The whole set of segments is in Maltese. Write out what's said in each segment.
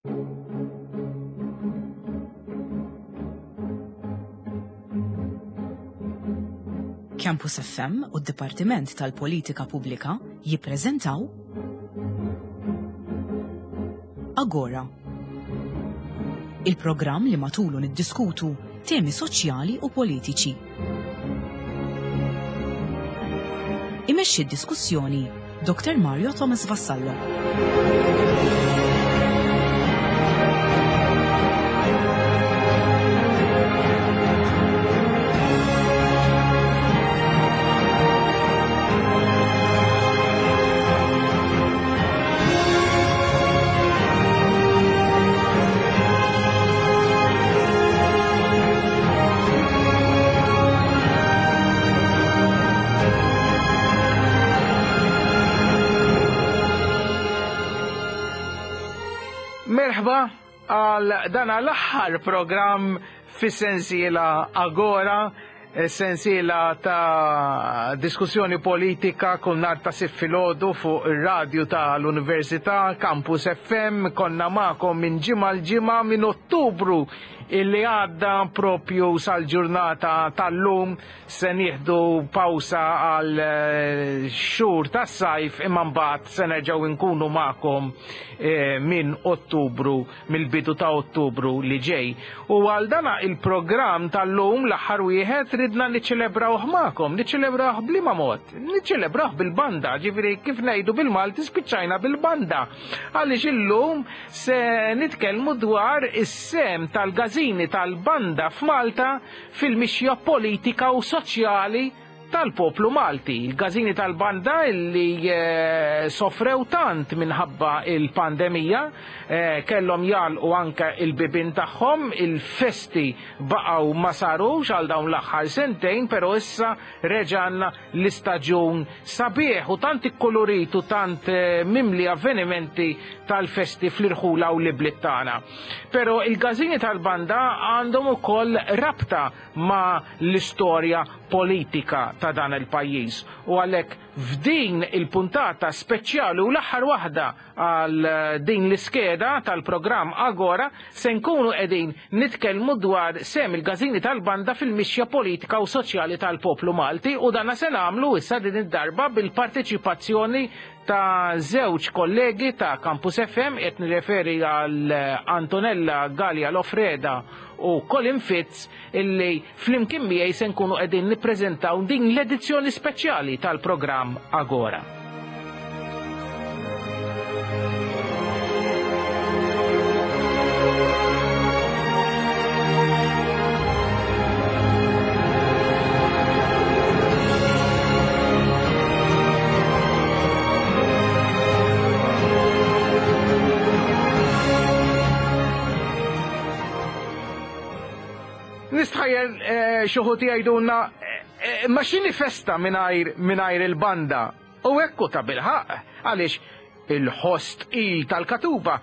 Campus FM u d-Dipartiment tal-Politika Pubblika jippreżentaw Agora. Il-programm li matulu niddiskutu temi soċjali u politiċi. Imexxi d-diskussjoni Dr. Mario Thomas Vassallo. Merħba għal dan l-aħħar programm fis-sensiela Agora sensiela ta' diskussjoni politika kull nhar ta' Sibt filgħodu fuq ir-radju tal-Università Campus FM konna magħkom minn ġimgħa l ġimgħa minn Ottubru illi għadda propju sal-ġurnata tal-lum se nieħdu pawsa għal eh, xhur tas-sajf imma mbagħad se nerġgħu nkunu magħkom eh, minn Ottubru mill-bidu ta' Ottubru li ġej. U għal dana il-programm tal-lum l-aħħar wieħed ridna niċċelebrawh magħkom, niċċelebrawh b'liema mod? Niċċelebrawh bil-banda, ġifieri kif ngħidu bil-Malti spiċċajna bil-banda. Għaliex illum se nitkellmu dwar is-sehem tal-gażini tal-banda f'Malta fil-mixja politika u soċjali tal-poplu Malti. Il-każini tal-banda li eh, sofrew tant minħabba il-pandemija, eh, kellhom jagħlqu anke il-bibien tagħhom, il-festi baqgħu ma sarux għal dawn l-aħħar sentejn, però issa reġanna l-istaġun sabiħ u tant ikkulurit u tant eh, mimli avvenimenti tal-festi fl-irħula u l-ibliet tagħna. Però il-każini tal-banda għandhom ukoll rabta ma' l-istorja politika ta' dan il-pajjiż u għalhekk f'din il-puntata speċjali u l-aħħar waħda għal din l-iskeda tal-programm Agora se nkunu qegħdin nitkellmu dwar sehem il-gażini tal-banda fil-mixja politika u soċjali tal-poplu Malti u dana se nagħmlu issa din id-darba bil-parteċipazzjoni ta' żewġ kollegi ta' Campus FM qed nirreferi għal Antonella Galea Lofreda u Colin Fitz illi flimkien miegħi se nkunu qegħdin nippreżentaw din l-edizzjoni speċjali tal-programm Agora. Nistħajjel eh, xi wħud jgħidulna eh, eh, ma x'inhi festa mingħajr il-banda. U hekk hu ta' bilħaqq għaliex il-ħoss tqil tal-katuba,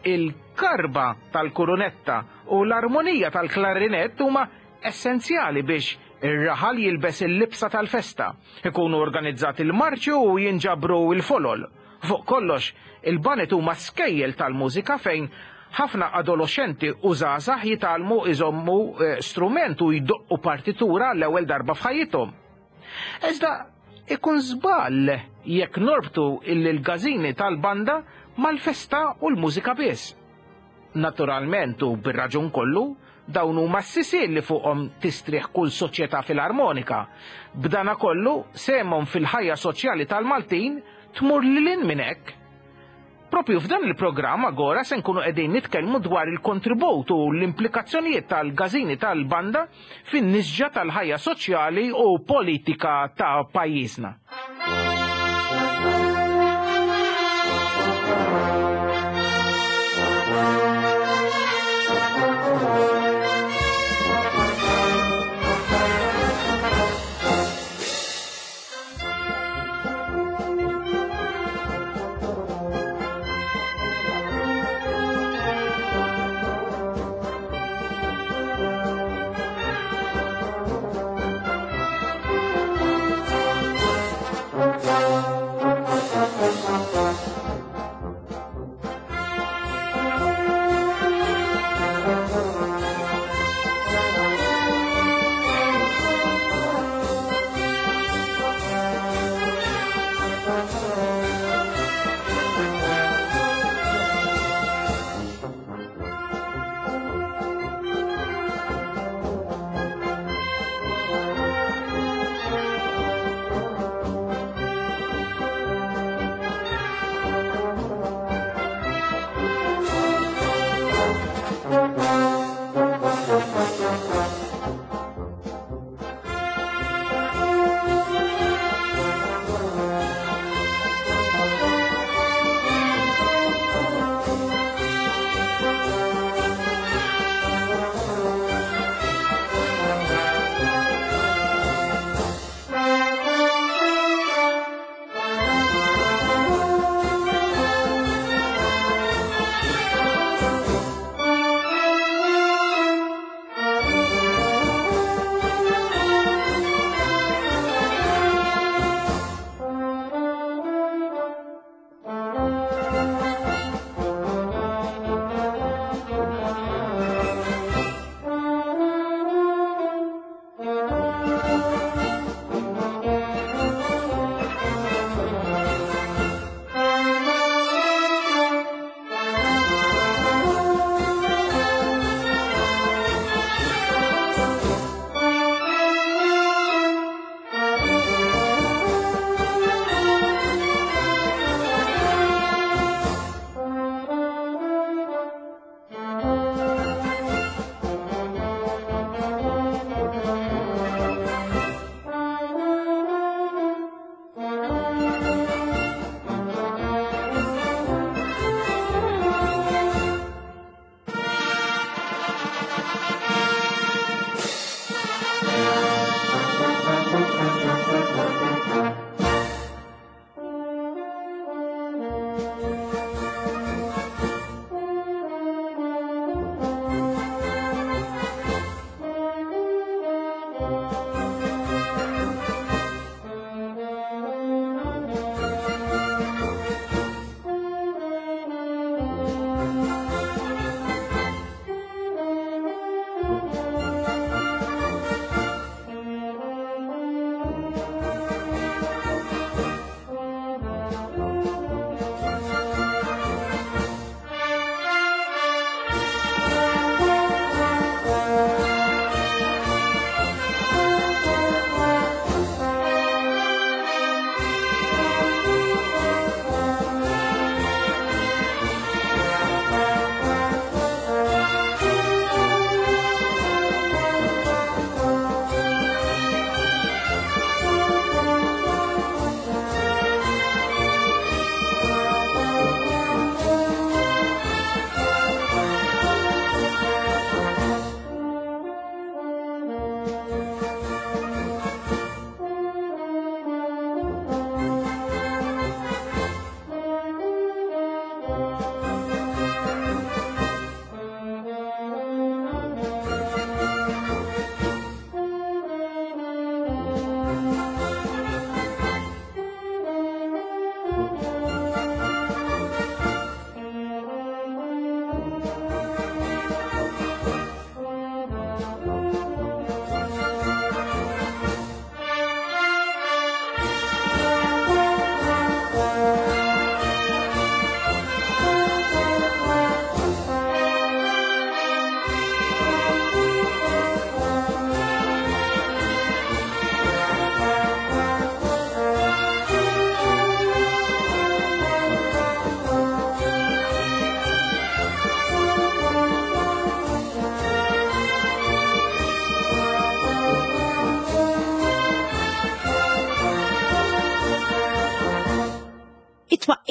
il-karba tal-kurunetta u l-armonija tal-klarinett huma essenzjali biex ir-raħal jilbes il-libsa tal-festa, ikunu organizzati l-marċi u jinġabru l-folol. Fuq kollox, il-baned huma skejjel tal-mużika fejn ħafna adoloxxenti u żgħażagħ jitgħallmu jżommu strument u jdoqqu partitura għall-ewwel darba f'ħajjithom. Iżda ikun żball jekk norbtu l-gażini tal-banda mal-festa u l-mużika biss. Naturalment u bir-raġun kollu, dawn huma s-sisien li fuqhom tistrieħ kull soċjetà filarmonika. B'danakollu, sehemhom fil-ħajja soċjali tal-Maltin tmur lil hinn minn hekk. Proprju f'dan il-programm Agora se nkunu qegħdin nitkellmu dwar il-kontribut u l-implikazzjonijiet tal-gażini tal-banda fin-nisġa tal-ħajja soċjali u politika ta' pajjiżna.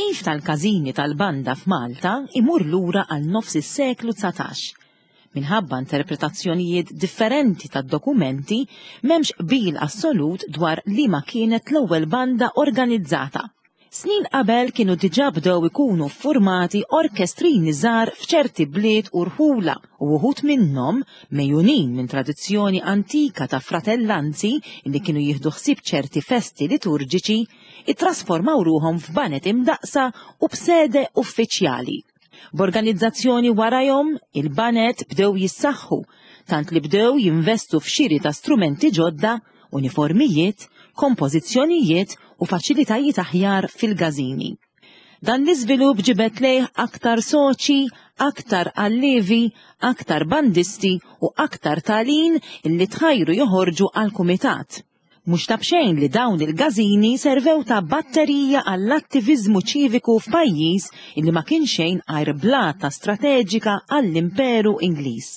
It-twaqqif tal-każini tal-banda f'Malta imur lura għal nofs is-seklu 19. Minħabba interpretazzjonijiet differenti tad-dokumenti, m'hemmx qbil assolut dwar liema kienet l-ewwel banda organizzata. Snin qabel kienu diġà bdew ikunu ffurmati orkestrini żgħar f'ċerti bliet u rħula u uħud minnhom, megħjunin minn tradizzjoni antika ta' fratellanzi li kienu jieħdu ħsieb ċerti festi liturġiċi, ittrasformaw ruħhom f'baned imdaqqsa u b'sede uffiċjali. B'organizzazzjoni warajhom, il-baned bdew jissaħħu, tant li bdew jinvestu f'xiri ta' strumenti ġodda, uniformijiet, kompożizzjonijiet u faċilitajiet aħjar fil-gażini. Dan l-iżvilupp ġibed lejh aktar soċi, aktar allievi, aktar bandisti u aktar talin li tħajru joħorġu għall-kumitat. Mhux ta' b'xejn li dawn il-gażini servew ta' batterija għall-attiviżmu ċiviku f'pajjiż illi ma kien xejn għajr blata strateġika għall-Imperu Ingliż.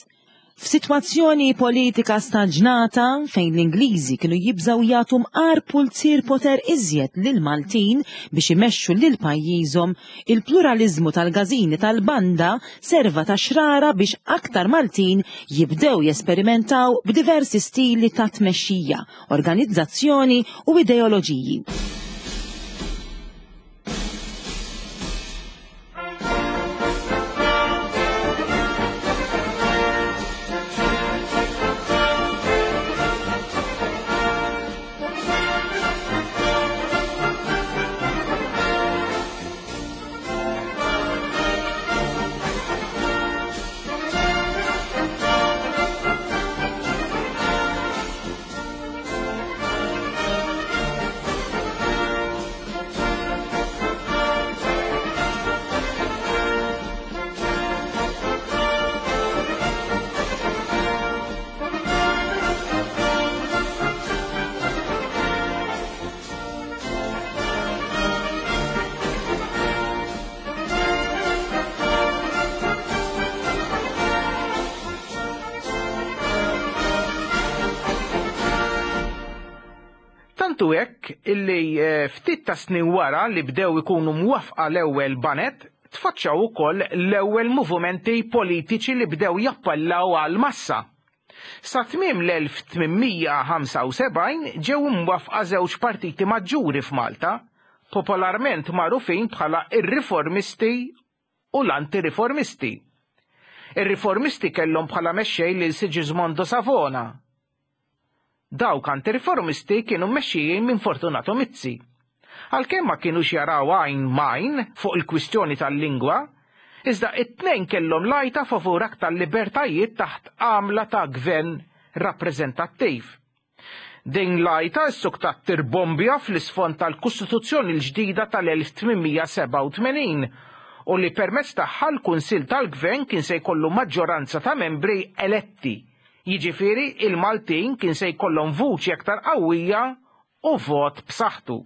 F'sitwazzjoni politika staġnata fejn l-Ingliżi kienu jibżgħu jagħtu mqar pulzier poter iżjed lill-Maltin biex imexxu lil pajjiżhom, il-pluraliżmu tal-gażini tal-banda serva ta' xrara biex aktar Maltin jibdew jesperimentaw b'diversi stili ta' tmexxija, organizzazzjoni u ideoloġiji. Tant hu hekk illi eh, ftit ta' snin wara li bdew ikunu mwaffqa l-ewwel banet, tfaċċaw ukoll l-ewwel movimenti politiċi li bdew jappellaw għall-massa. Sa tmiem l-1875 ġew imwaffqa żewġ partiti maġġuri f'Malta, popolarment magħrufin bħala r-Riformisti u l-Anti-Riformisti. Ir-Riformisti kellhom bħala mexxej lil Sigismondo Savona. Dawk anti-riformisti kienu mmexxijin minn Fortunato Mizzi. Għalkemm ma kinux jaraw għajn m'għajn fuq il-kwistjoni tal-lingwa, iżda it-tnejn kellhom l-għajta favur aktar libertajiet taħt għamla ta' gvern rappreżentattiv. Din l-għajta ssuktat tirbombja fl-isfond tal-Kostituzzjoni l-ġdida tal-1887 u li permezz tagħha l-Kunsill tal-Gvern kien se jkollu maġġoranza ta' membri eletti. Jiġifieri il-Maltin kien se jkollhom vuċi aktar qawwija u vot b'saħħtu.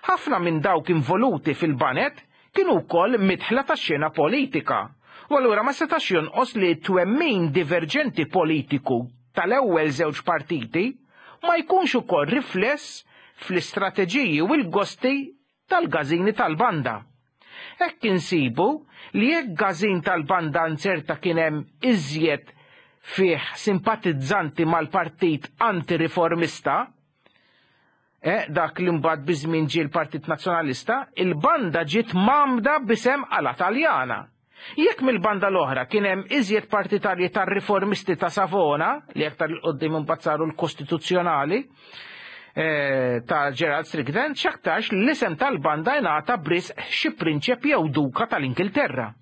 Ħafna minn dawk involuti fil-baned kienu wkoll midħla tax-xena politika, u allura ma setax jonqos li t-twemmin diverġenti politiku tal-ewwel żewġ partiti ma jkunx ukoll rifless fl-istrateġiji u l-gosti tal-gażini tal-banda. Hekk insibu li jekk gażin tal-banda nzerta kien hemm iżjed fih simpatizzanti mal-partit anti-riformista, eh, dak li mbagħad biż-żmien ġie l-Partit Nazzjonalista, il-banda ġiet mgħammda b'isem Ala Taljana. Jekk mill-banda l-oħra kien hemm iżjed partitarji tar-riformisti ta' Savona, li aktar 'il quddiem imbagħad saru l-Kostituzzjonali, eh, ta' Gerald Strickland, x'aktarx li l-isem tal-banda ingħata b'risq xi prinċep jew duka tal-Ingilterra.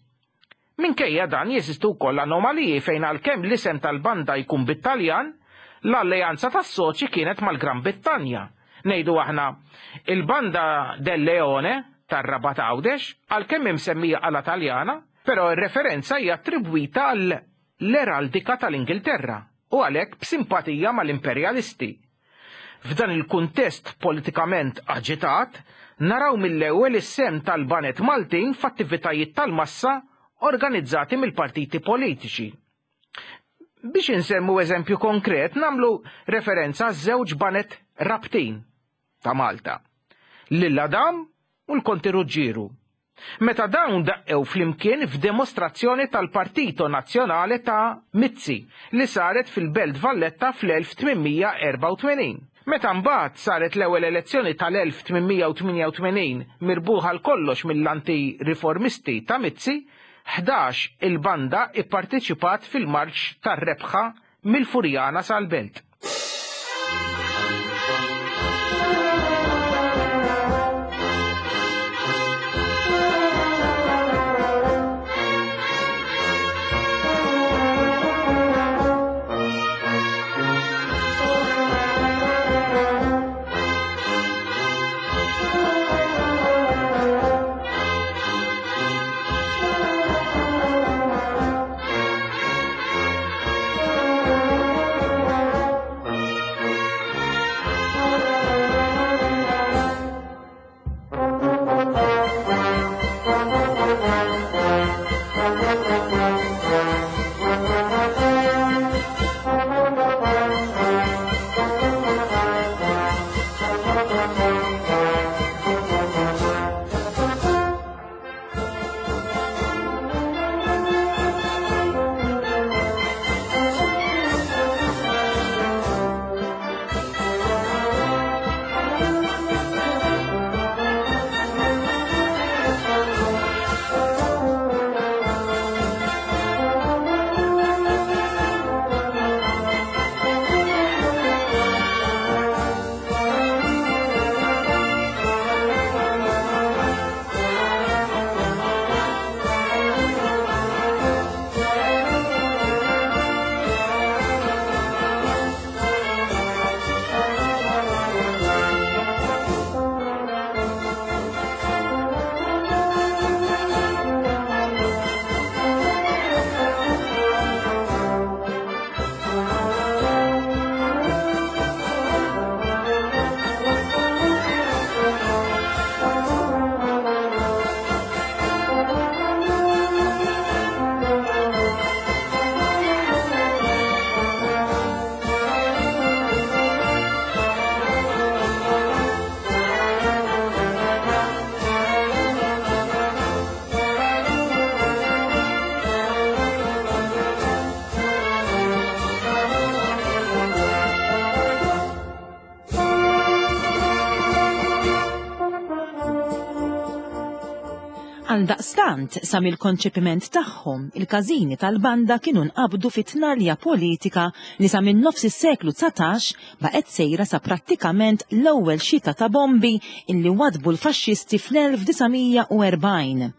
Minkejja dan jeżistu wkoll anomaliji fejn għalkemm l-isem tal-banda jkun bit-Taljan, l-alleanza tas-soċji kienet mal-Gran Brittanja. Ngħidu aħna, il-banda Del Leone tar-Rabat Għawdex, għalkemm imsemmija Ala Taljana, però r-referenza hija attribwita għall-eraldika tal-Ingilterra u għalhekk b'simpatija mal-imperjalisti. F'dan il-kuntest politikament aġitat, naraw mill-ewwel is-sehem tal-baned Maltin f'attivitajiet tal-massa organizzati mill-partiti politiċi. Biex insemmu eżempju konkret, nagħmlu referenza għaż-żewġ baned Rabtin ta' Malta, lil Adam u l-Konti Ruġġieru. Meta dawn daqqew flimkien f'demostrazzjoni tal-Partito Nazzjonale ta' Mizzi li saret fil-Belt Valletta fl-1884. Meta mbagħad saret l-ewwel elezzjoni tal-1888 mirbuħa għal kollox mill-anti-riformisti ta' Mizzi, 11 il-banda ipparteċipat fil-marċ tar-rebħa mill-Furjana sal-Belt. Għaldaqstant, sa mill-konċepiment tagħhom, il-każini tal-banda kienu nqabdu fi tnalja politika li sa minn nofs is-seklu 19 baqgħet sejra sa prattikament l-ewwel xita ta' bombi illi wadbu l-faxxisti fl-1940.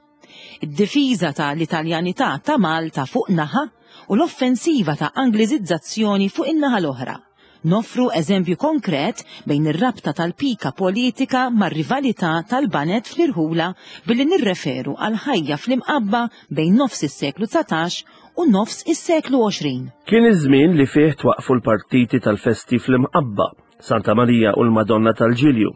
Id-difiża ta' l-Italjanità ta' Malta fuq naħa u l-offensiva ta' Angliżizzazzjoni fuq in-naħa l-oħra. Noffru eżempju konkret bejn ir-rabta tal-pika politika mar-rivalità tal-baned fl-irħula billi nirreferu għall-ħajja fl-Imqabba bejn nofs is-seklu 19 u nofs is-seklu 20. Kien iż-żmien li fih twaqqfu l-partiti tal-festi fl-Imqabba, Santa Marija u l-Madonna tal-Ġilju.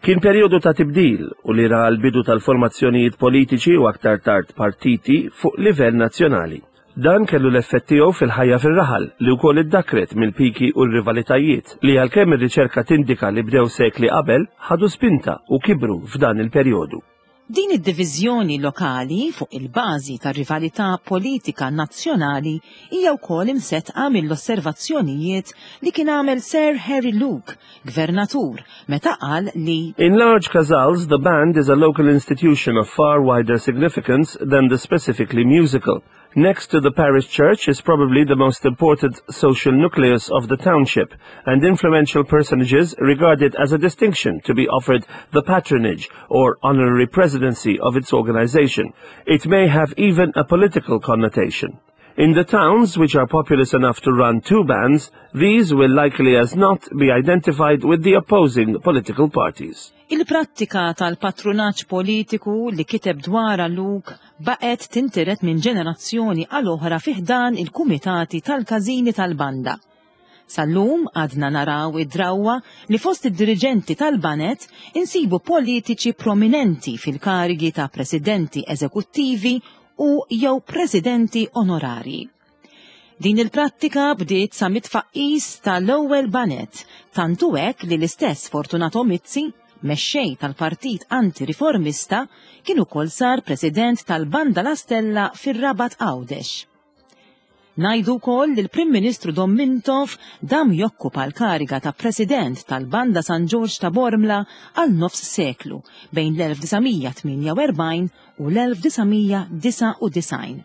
Kien perjodu ta' tibdil u li ra l-bidu tal-formazzjonijiet politiċi u aktar tard partiti fuq livell nazzjonali. Dan kellu l-effett tiegħu fil-ħajja fir-raħal, li wkoll iddakkret mill-piki u r-rivalitajiet, li għalkemm ir-riċerka tindika li bdew sekli qabel, ħadu spinta u kibru f'dan il-perjodu. Din id-diviżjoni lokali fuq il-bażi tar-rivalità politika nazzjonali hija wkoll imseddqa mill-osservazzjonijiet li kien għamel Sir Harry Luke, gvernatur, meta qal li. In large casals, the band is a local institution of far wider significance than the specifically musical. Next to the parish church is probably the most important social nucleus of the township, and influential personages regard it as a distinction to be offered the patronage or honorary presidency of its organization. It may have even a political connotation. In the towns, which are populous enough to run two bands, these will likely as not be identified with the opposing political parties. Il-prattika tal-patrunaġġ politiku li kiteb dwarha Luke baqgħet tintiret minn ġenerazzjoni għal oħra fi ħdan il-kumitati tal-każini tal-banda. Sal-lum għadna naraw id-drawwa li fost id-diriġenti tal-baned insibu politiċi prominenti fil-karigi ta' presidenti eżekuttivi u jew presidenti onorarji. Din il-prattika bdiet sa mit-tfaqqis ta' l-ewwel baned, tant hu hekk li l-istess Fortunato Mizzi, mexxej tal-Partit Anti-Riformista, kien ukoll sar President tal-Banda La Stella fir-Rabat Għawdex. Ngħidu wkoll li l-Prim Ministru Dom Mintoff dam jokkupa l-kariga ta' President tal-Banda San Ġorġ ta' Bormla għal nofs seklu bejn l-1948 u l-1999.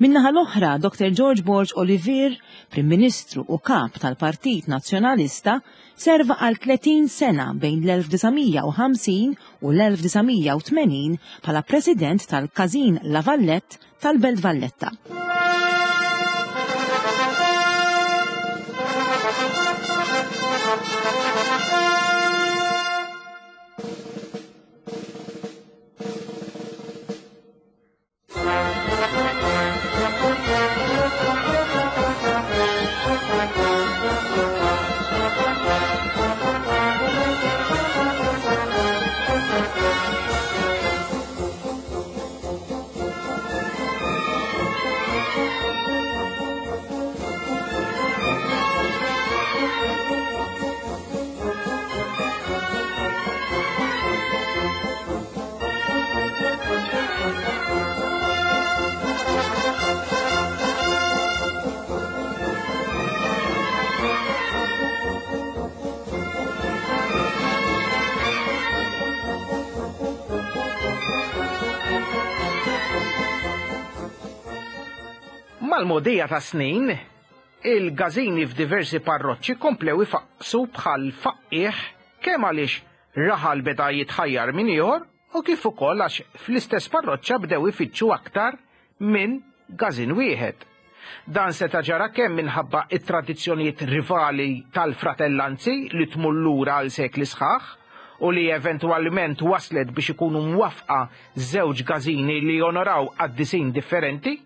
Min-naħa l-oħra, Dr. George Borg Olivier, Prim Ministru u Kap tal-Partit Nazzjonalista, serva għal 30 sena bejn l-1950 u l-1980 bħala President tal-Każin La Vallette tal-Belt Valletta. Mal-mogħdija tas-snin, il-gażini f'diversi parroċċi komplew ifaqqsu bħal faqqiegħ kemm għaliex raħal beda jitħajjar minn ieħor u kif ukoll għax fl-istess parroċċa bdew ifittxu aktar minn gażin wieħed. Dan seta' ġara kemm minħabba t-tradizzjonijiet rivali tal-fratellanzi li tmur lura għal sekli sħaħ u li eventwalment wasslet biex ikunu mwaffqa żewġ gażini li jonoraw qaddisin differenti,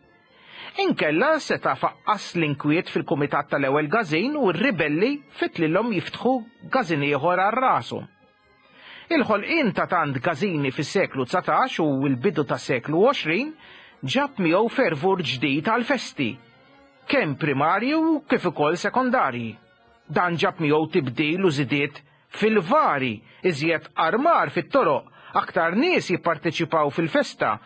inkella seta' faqqas l-inkwiet fil-kumitat tal-ewwel gażin u r-ribelli fittlilhom jiftħu gażin ieħor għal rashom. Il-ħolqien ta' tant każini fis-seklu 19 u l-bidu tas-seklu 20 ġab miegħu fervur ġdid għall-festi, kemm primarji u kif ukoll sekondarji. Dan ġab miegħu tibdil u żidiet fil-vari, iżjed armar fit-toroq, aktar nies jipparteċipaw fil-festa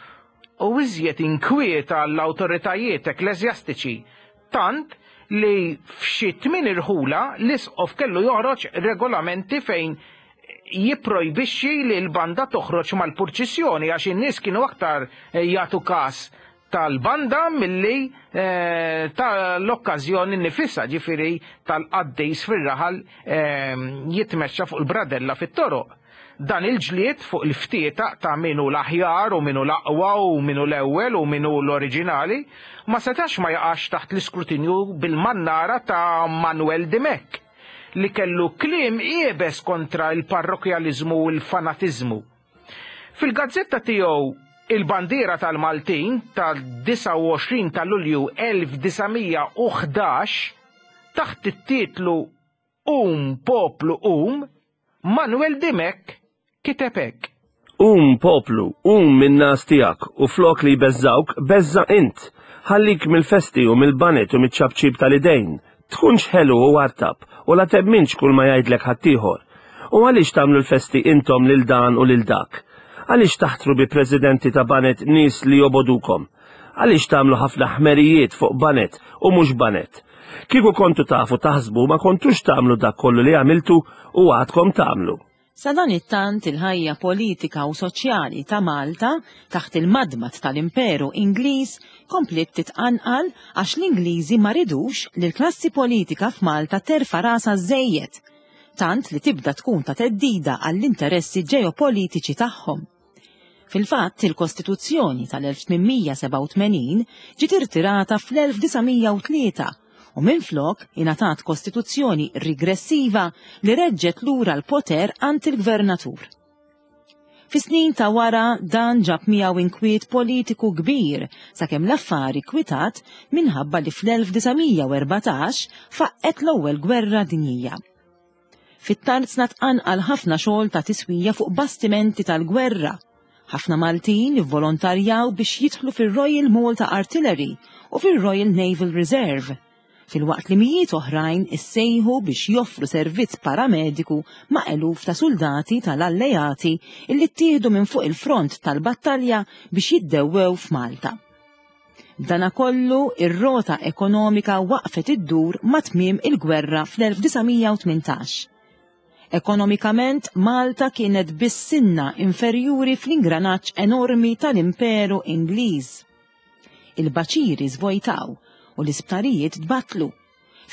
u iżjed inkwiet għall-awtoritajiet ekkleżjastiċi, tant li f'xi tmien irħula l-isqof kellu joħroġ regolamenti fejn jipprojbixxi li l-banda toħroġ mal-purċissjoni għax in-nies kienu aktar jagħtu każ tal-banda milli eh, tal-okkażjoni nifisha, ġifieri tal-qaddis fir-raħal eh, jitmexxa fuq il-bradella fit-toroq. Dan il-ġlied fuq il-ftietaq ta' min hu l-aħjar u min hu l-aqwa u min hu l-ewwel u min hu l-oriġinali ma setax ma jaqax taħt l-iskrutinju bil-mannara ta' Manwel Dimech li kellu kliem iebes kontra l-parrokkjaliżmu u l-fanatiżmu. Fil-gazzetta tiegħu Il-Bandiera tal-Maltin tad-29 ta' Lulju 1911 taħt it-titlu Qum poplu qum, Manuel Dimech kiteb hekk. Qum poplu, qum min-ngħas tiegħek u flok li jbeżżgħuk, beżża' int. Ħallik mill-festi u mill-baned u miċ-ċapċip tal-idejn. Tkunx ħelu u artab u la temminx kull ma jgħidlek ħaddieħor. U għaliex tagħmlu l-festi intom lil dan u lil dak? Għaliex taħtru bi presidenti ta' baned nies li jobogħdukom? Għaliex tagħmlu ħafna ħmerijiet fuq baned u mhux baned? Kieku kontu tafu taħsbu ma kontux tagħmlu dak kollu li għamiltu u għadkom tagħmlu. Sadanittant il-ħajja politika u soċjali ta' Malta taħt il-madmad tal-Imperu Ingliż kompliet titqanqal għax l-Ingliżi ma ridux li l-klassi politika f'Malta terfa' rasha żżejjed, tant li tibda tkun ta' theddida għall-interessi ġeopolitiċi tagħhom. Fil-fatt, il-Kostituzzjoni tal-1887 ġiet irtirata fl-1903 u minflok ingħatat kostituzzjoni rigressiva li reġġgħet lura l-poter għand il-gvernatur. Fis-snin ta' wara dan ġab miegħu inkwiet politiku kbir sakemm l-affari kwitat minħabba li fl-1914 faqqgħet l-Ewwel Gwerra Dinjija. Fit-tarzna tqanqal ħafna xogħol ta' tiswija fuq bastimenti tal-gwerra. Ħafna Maltin ivvolontarjaw biex jidħlu fir-Royal Malta Artillery u fir-Royal Naval Reserve. filwaqt li mijiet oħrajn issejħu biex joffru servizz paramediku ma' eluf ta' suldati tal-Alleati illi ttieħdu minn fuq il-front tal-battalja biex jiddewwew f'Malta. B'danakollu, ir-rota ekonomika waqfet iddur ma' tmiem il-gwerra fl-1918. Ekonomikament, Malta kienet biss sinna inferjuri fl-ingranaġġ enormi tal-Imperu Ingliż. Il-baċiri żvojtaw u l-isptarijiet tbattlu,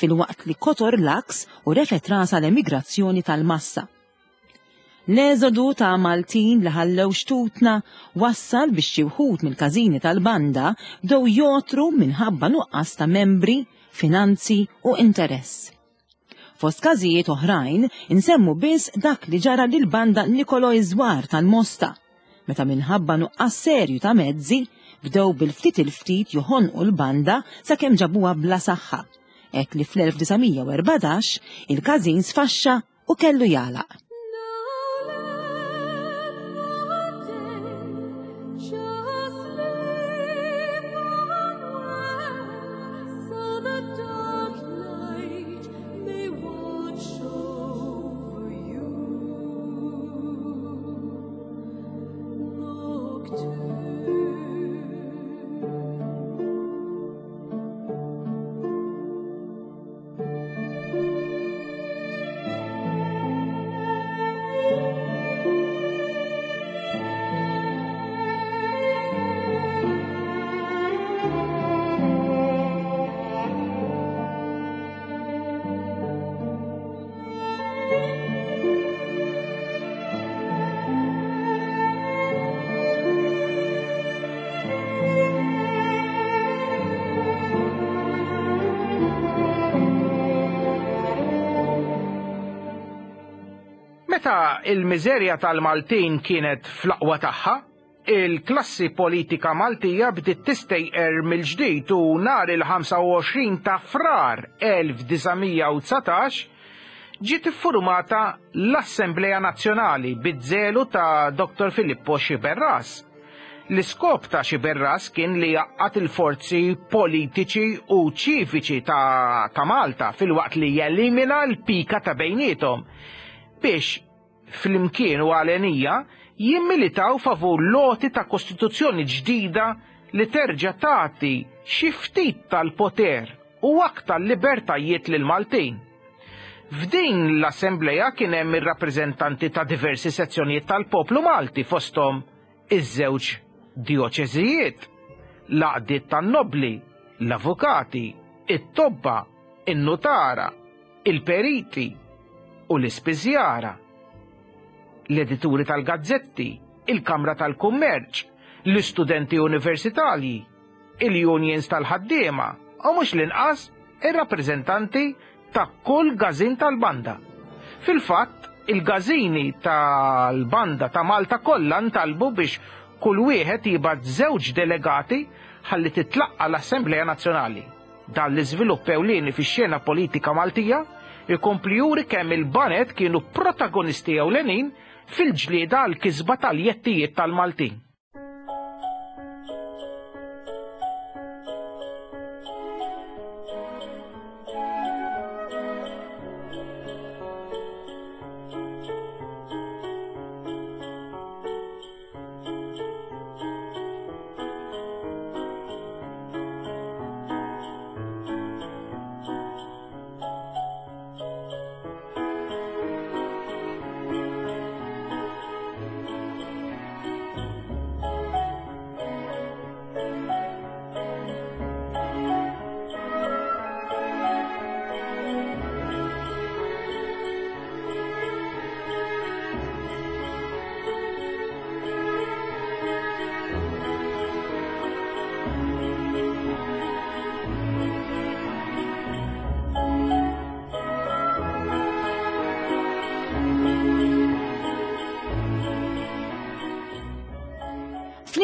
filwaqt li kotor l-għaks u refgħet rasha l-emigrazzjoni tal-massa. L-eżodu ta' Maltin li ħallew xtutna wassal biex xi wħud mill-każini tal-banda bdew jogħtru minħabba nuqqas ta' membri, finanzi u interess. Fost każijiet oħrajn, insemmu biss dak li ġara lill-banda Nicolò Iżwar tal-Mosta, meta minħabba nuqqas serju ta' mezzi, bdew bil-ftit il-ftit joħonqu l-banda sakemm ġabuha bla saħħa, hekk li fl-1914 il-każin sfaxxa u kellu jagħlaq. Meta il-miżerja tal-Maltin kienet fl-aqwa tagħha, il-klassi politika Maltija bdiet tistejqer mill-ġdid u nhar il-25 ta' Frar 1919 ġiet iffurmata l-Assemblea Nazzjonali biż-żelu ta' Dr. Filippo Sciberras. L-iskop ta' Sciberras kien li jgħaqqad il-forzi politiċi u ċiviċi ta', ta Malta filwaqt li jelimina l-pika ta' bejniethom biex flimkien u għalenija jimmilitaw favur l-għoti ta' kostituzzjoni ġdida li terġa' tagħti xi ftit tal-poter u aktar libertajiet lill-Maltin. F'din l-assembleja kien hemm ir-rappreżentanti ta' diversi sezzjonijiet tal-poplu Malti fosthom iż-żewġ djoċeżijiet, l-għaqdiet tan-nobbli, l-avukati, it-tobba, in-nutara, il-periti u l-ispiżjara, l-edituri tal-gazzetti, il-Kamra tal-Kummerċ, l-istudenti universitarji, il-unions tal-ħaddiema u mhux l-inqas ir-rappreżentanti ta' kull każin tal-banda. Fil-fatt, il-każini tal-banda ta' Malta kollha ntalbu biex kull wieħed jibgħat żewġ delegati ħalli titlaqqa' l-Assemblea Nazzjonali. Dan l-iżvilupp ewlieni fix-xena politika Maltija jkompli juri kemm il-baned kienu protagonisti ewlenin fil-ġlieda għall-kisba tal-jettijiet tal-Maltin.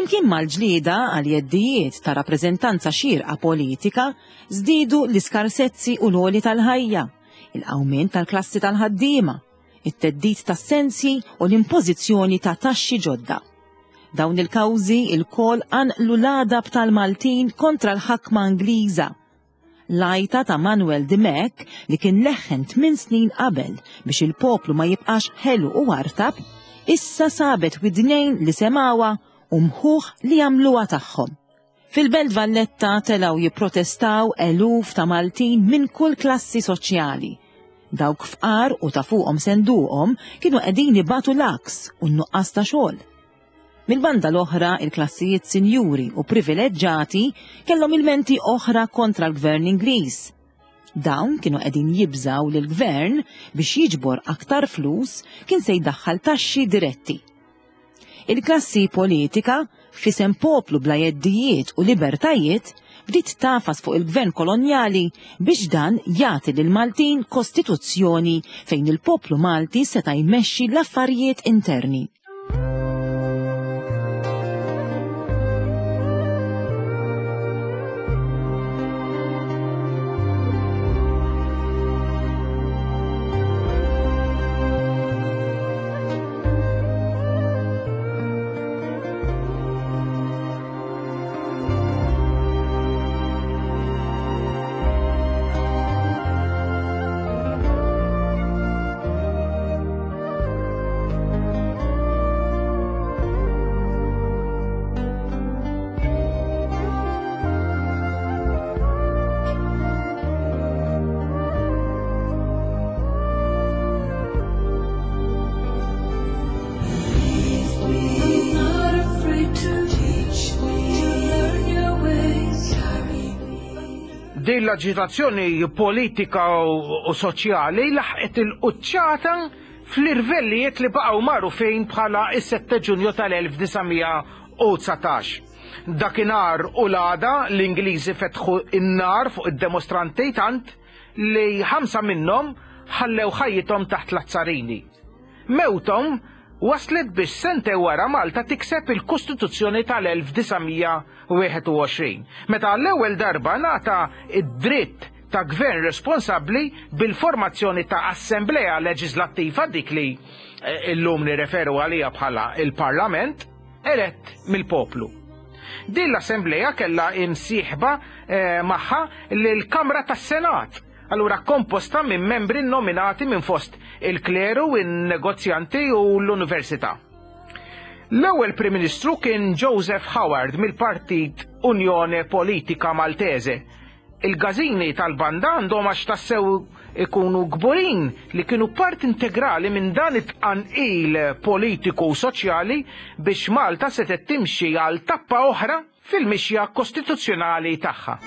Flimkien mal-ġlieda għal jeddijiet ta' rappreżentanza xierqa politika, żdiedu l-iskarsezzi u l-għoli tal-ħajja, il-qawmien tal-klassi tal-ħaddiema, it-theddid tas-sensji u l-impożizzjoni ta' taxxi ġodda. Dawn il-kawżi lkoll qanqlu l-għadab tal-Maltin kontra l-ħakma Ingliża. L-għajta ta' Manuel Dimech li kien leħħen tmin snin qabel biex il-poplu ma jibqax ħelu u artab, issa sabet widnejn li semgħuha u mħuħ li għamluha tagħhom. Fil-Belt Valletta telgħu jipprotestaw eluf ta' Maltin minn kull klassi soċjali. Dawk fqar u ta' fuqhom senduqhom kienu qegħdin ibatu l-għaks u n-nuqqas ta' xogħol. Mill-banda l-oħra, il-klassijiet sinjuri u privileġġati kellhom ilmenti oħra kontra l-gvern Ingliż. Dawn kienu qegħdin jibżgħu li l-gvern biex jiġbor aktar flus kien se jdaħħal taxxi diretti. Il-klassi politika, f'isem poplu bla jeddijiet u libertajiet, bdiet tagħfas fuq il-gvern kolonjali biex dan jagħti lill-Maltin kostituzzjoni fejn il-poplu Malti seta' jmexxi l-affarijiet interni. Din l-aġitazzjoni politika u soċjali laħqet il-quċċata fl-irvellijiet li baqgħu magħrufin bħala s-7 Ġunju tal-1919. Dakinhar u l-għada l-Ingliżi fetħu n-nar fuq id-demostranti tant li ħamsa minnhom ħallew ħajjithom taħt l-azzarini. Mewthom waslet biex sentejn wara Malta tikseb il-Kostituzzjoni tal-1921, meta għall-ewwel darba ngħata d-dritt ta' gvern responsabbli bil-formazzjoni ta' assemblea leġislattiva dik li eh, illum nirreferu għalija bħala il-Parlament elett mill-poplu. Din l-assemblea kellha imsieħba eh, magħha l-Kamra tas-Senat, allura komposta minn membri nominati minn fost il-kleru, in-negozjanti u l-università. L-ewwel Prim Ministru kien Joseph Howard mill-Partit Unjone Politika Maltese. Il-gażini tal-banda għandhom għax tassew ikunu kburin li kienu part integrali minn dan it-tqanqil politiku u soċjali biex Malta setgħet timxi għal tappa oħra fil-mixja kostituzzjonali tagħha.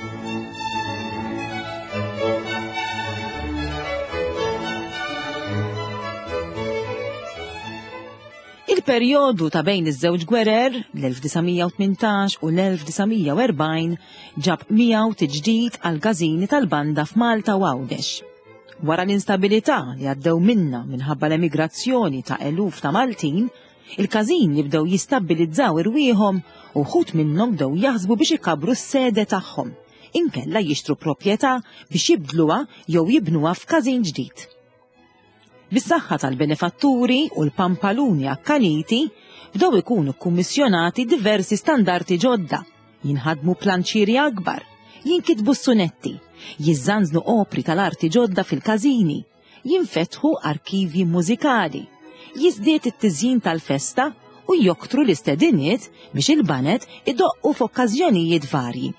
Il-perjodu ta' bejn iż-żewġ gwerer, l-1918 u l-1940, ġab miegħu tiġdid għall-każini tal-banda f'Malta u Għawdex. Wara l-instabilità li għaddew minnha minħabba l-emigrazzjoni ta' eluf ta' Maltin, il-każini bdew jistabbilizzaw irwieħhom u wħud minnhom bdew jaħsbu biex ikabbru s-sede tagħhom, inkella jixtru proprjetà biex jibdluha jew jibnuha f'każin ġdid. Bis-saħħa tal-benefatturi u l-pampaluni akkaniti, bdew ikunu kkummissjonati diversi standarti ġodda, jinħadmu planċieri akbar, jinkitbu s-sunetti, jiżżanżnu opri tal-arti ġodda fil-każini, jinfetħu arkivji mużikali, jiżdied it-tiżjin tal-festa u joktru l-istediniet biex il-baned idoqqu f'okkażjonijiet varji.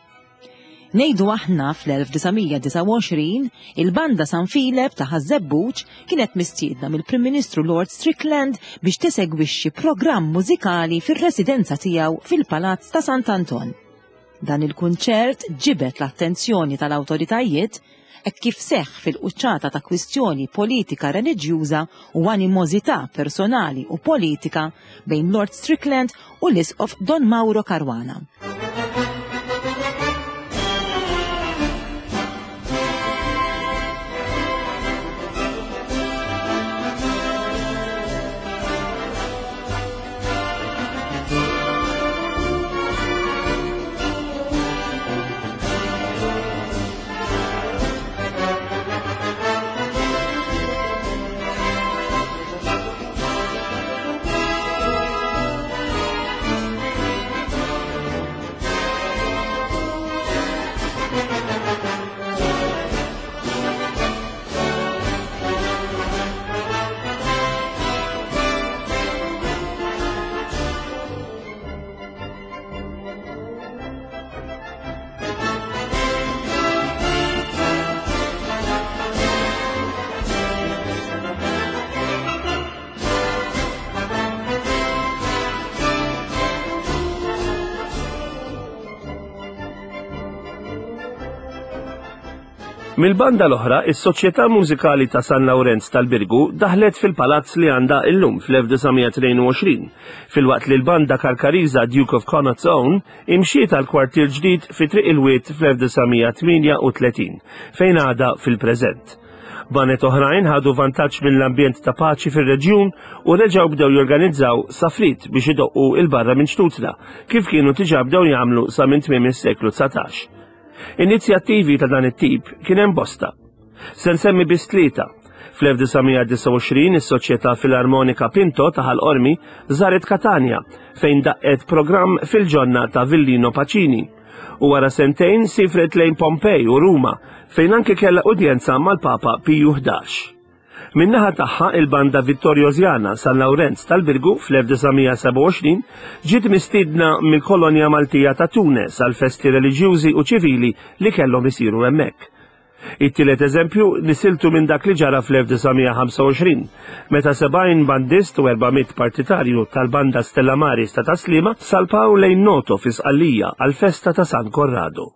Ngħidu aħna fl-1929, il-Banda San Filep ta' Ħaż-Żebbuġ kienet mistiedna mill-Prim Ministru Lord Strickland biex tesegwixxi programm mużikali fir-residenza tiegħu fil-Palazz ta' Sant'Anton. Dan il-kunċert ġibed l-attenzjoni tal-awtoritajiet hekk kif seħħ fil-quċċata ta' kwistjoni politika reliġjuża u animożità personali u politika bejn Lord Strickland u l-Isqof Don Mauro Caruana. Mill-banda l-oħra, is-Soċjetà Mużikali ta' San Lawrenz tal-Birgu daħlet fil-palazz li għandha illum fl-1922, filwaqt li l-banda Karkariża Duke of Connaught's Own imxiet għal kwartier ġdid fi Triq il-Wied fl-1938, fejn għadha fil-preżent. Baned oħrajn ħadu vantaġġ mill-ambjent ta' paċi fir-reġjun u reġgħu bdew jorganizzaw safrit biex idoqqu 'l barra minn xtutna, kif kienu diġà bdew jagħmlu sa minn tmiem is-seklu 19. Inizjattivi ta' dan it-tip kien hemm bosta. Se nsemmi biss tlieta. Fl-1929 is-Soċjetà Filarmonika Pinto ta' Ħal Qormi żaret Katanja fejn daqqet programm fil-ġonna ta' Villino Pacini. U wara sentejn sifret lejn Pompej u Ruma fejn anke kellha udjenza mal-Papa Piju 11. Min-naħa tagħha, il-Banda Vittoriosiana San Lawrenz tal-Birgu fl-1927 ġiet mistiedna mill-kolonja Maltija ta' Tunes għal festi reliġjużi u ċivili li kellhom isiru hemmhekk. It-tielet eżempju nisiltu minn dak li ġara fl-1925, meta 70 bandist u 400 partitarju tal-Banda Stella Maris ta' Tas-Sliema salpaw lejn Noto fi Sqallija għall-festa ta' San Corrado.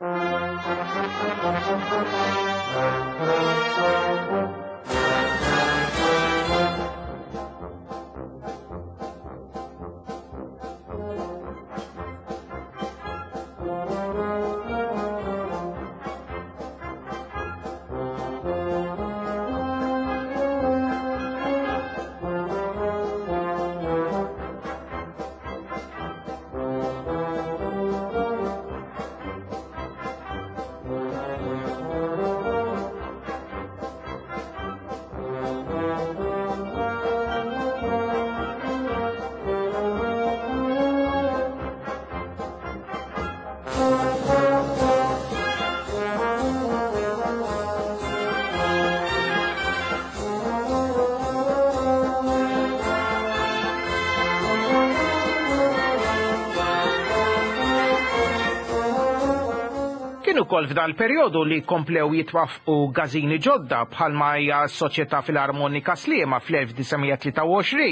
Kien ukoll f'dan il-perjodu li komplew jitwaffqu gażini ġodda bħalma hija s-Soċjetà Filarmonika Sliema fl-1923,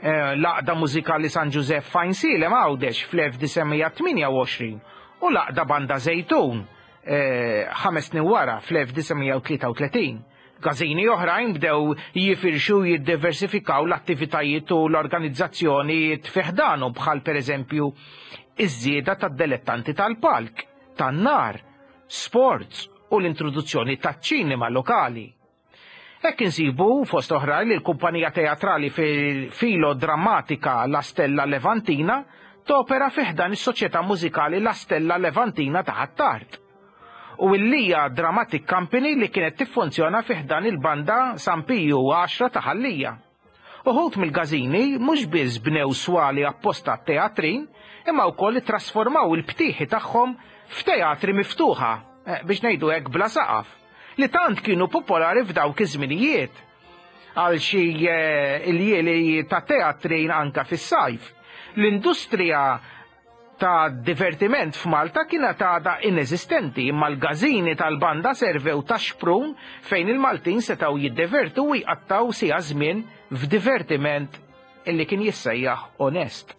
eh, l-Għaqda Mużikali San Ġużepp f'Għajnsielem Għawdex fl-1928 u l-Għaqda Banda Żejtun eh, ħames snin wara fl-1933. Każini oħrajn bdew jifirxu u jiddiversifikaw l-attivitajiet u l-organizzazzjonijiet fi ħdanhom bħal pereżempju iż-żieda tad-delettanti tal-palk, tan-nar, sports u l-introduzzjoni taċ-ċinema lokali. Hekk insibu fost oħrajn li l-kumpanija teatrali filodrammatika La Stella Levantina topera fi ħdan is-Soċjetà Mużikali La Stella Levantina ta' Ħ'Attard. U l-Lija Dramatic Company li kienet tiffunzjona fi ħdan il-Banda San Piju Għaxra ta' Ħal Lija. Uħud mill-każini mhux biss bnew swali apposta għat-teatrin, imma wkoll ittrasformaw il-btieħi tagħhom f'teatri miftuħa, eh, biex ngħidu hekk bla saqaf, li tant kienu popolari f'dawk iż-żminijiet. Għal xi eh, iljieli ta' teatrin anka fis-sajf. L-industrija ta' divertiment f'Malta kienet għadha ineżistenti imma l-gażini tal-banda servew ta' xprun fejn il-Maltin setgħu jiddevertu u jqattgħu siegħa żmien f'divertiment illi kien jissejjaħ onest.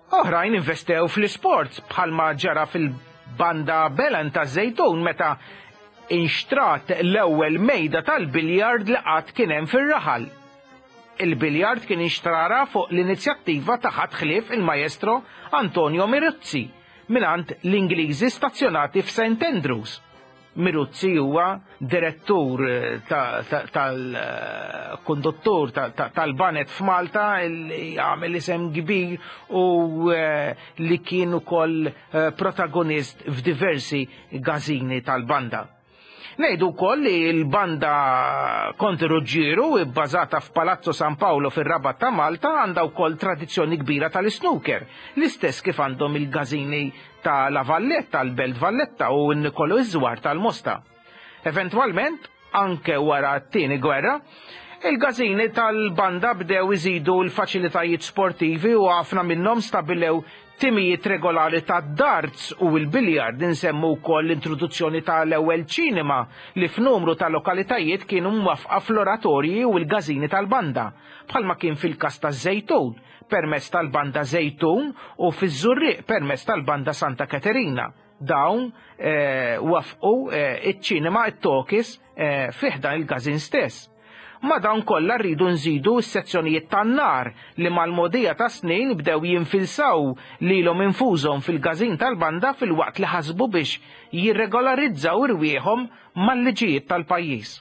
Oħrajn investew fl-isports bħalma ġara fil-banda Belen taż-Żejtun meta inxtrat l-ewwel mejda tal-biljard li qatt kien hemm fir-raħal. Il-biljard kien inxtrara fuq l-inizjattiva ta' ħadd ħlief il-Maestro Antonio Miruzzi mingħand l-Ingliżi stazzjonati f'St Andrews. Miruzzi huwa direttur tal-konduttur tal-banet f'Malta li għamel isem kbir u eh, li kien ukoll eh, protagonist f'diversi gażini tal-banda. Ngħidu wkoll li l-banda Konti Ruġġieru, ibbażata f'Palazzo San Paolo fir-Rabat ta' Malta, għandha wkoll tradizzjoni kbira tal-isnooker, l-istess kif għandhom il-gażini ta' La Valletta tal-Belt Valletta u n-Nikolo Iżwar tal-Mosta. Eventwalment, anke wara t-Tieni Gwerra, il-gażini tal-banda bdew iżidu l-faċilitajiet sportivi u ħafna minnhom stabilew Timijiet regolari tad-darts u l-biljard, insemmu wkoll l-introduzzjoni ta' l-ewwel ċinema li f'numru ta' lokalitajiet kienu mwaffqa fl-oratorji u l-gażini tal-banda, bħalma kien fil-każ taż-Żejtun, permezz tal-Banda Żejtun u fiż-Żurrieq permezz tal-Banda Santa Katerina. Dawn waffqu iċ-ċinema, it-talkies, eh, fi ħdan il-każin stess. Ma' dawn kollha rridu nżidu s-sezzjonijiet tan-nar li mal-mogħdija tas-snin bdew jinfilsaw lilhom infushom fil-każin tal-banda filwaqt li ħasbu biex jirregolarizzaw irwieħhom mal-liġijiet tal-pajjiż.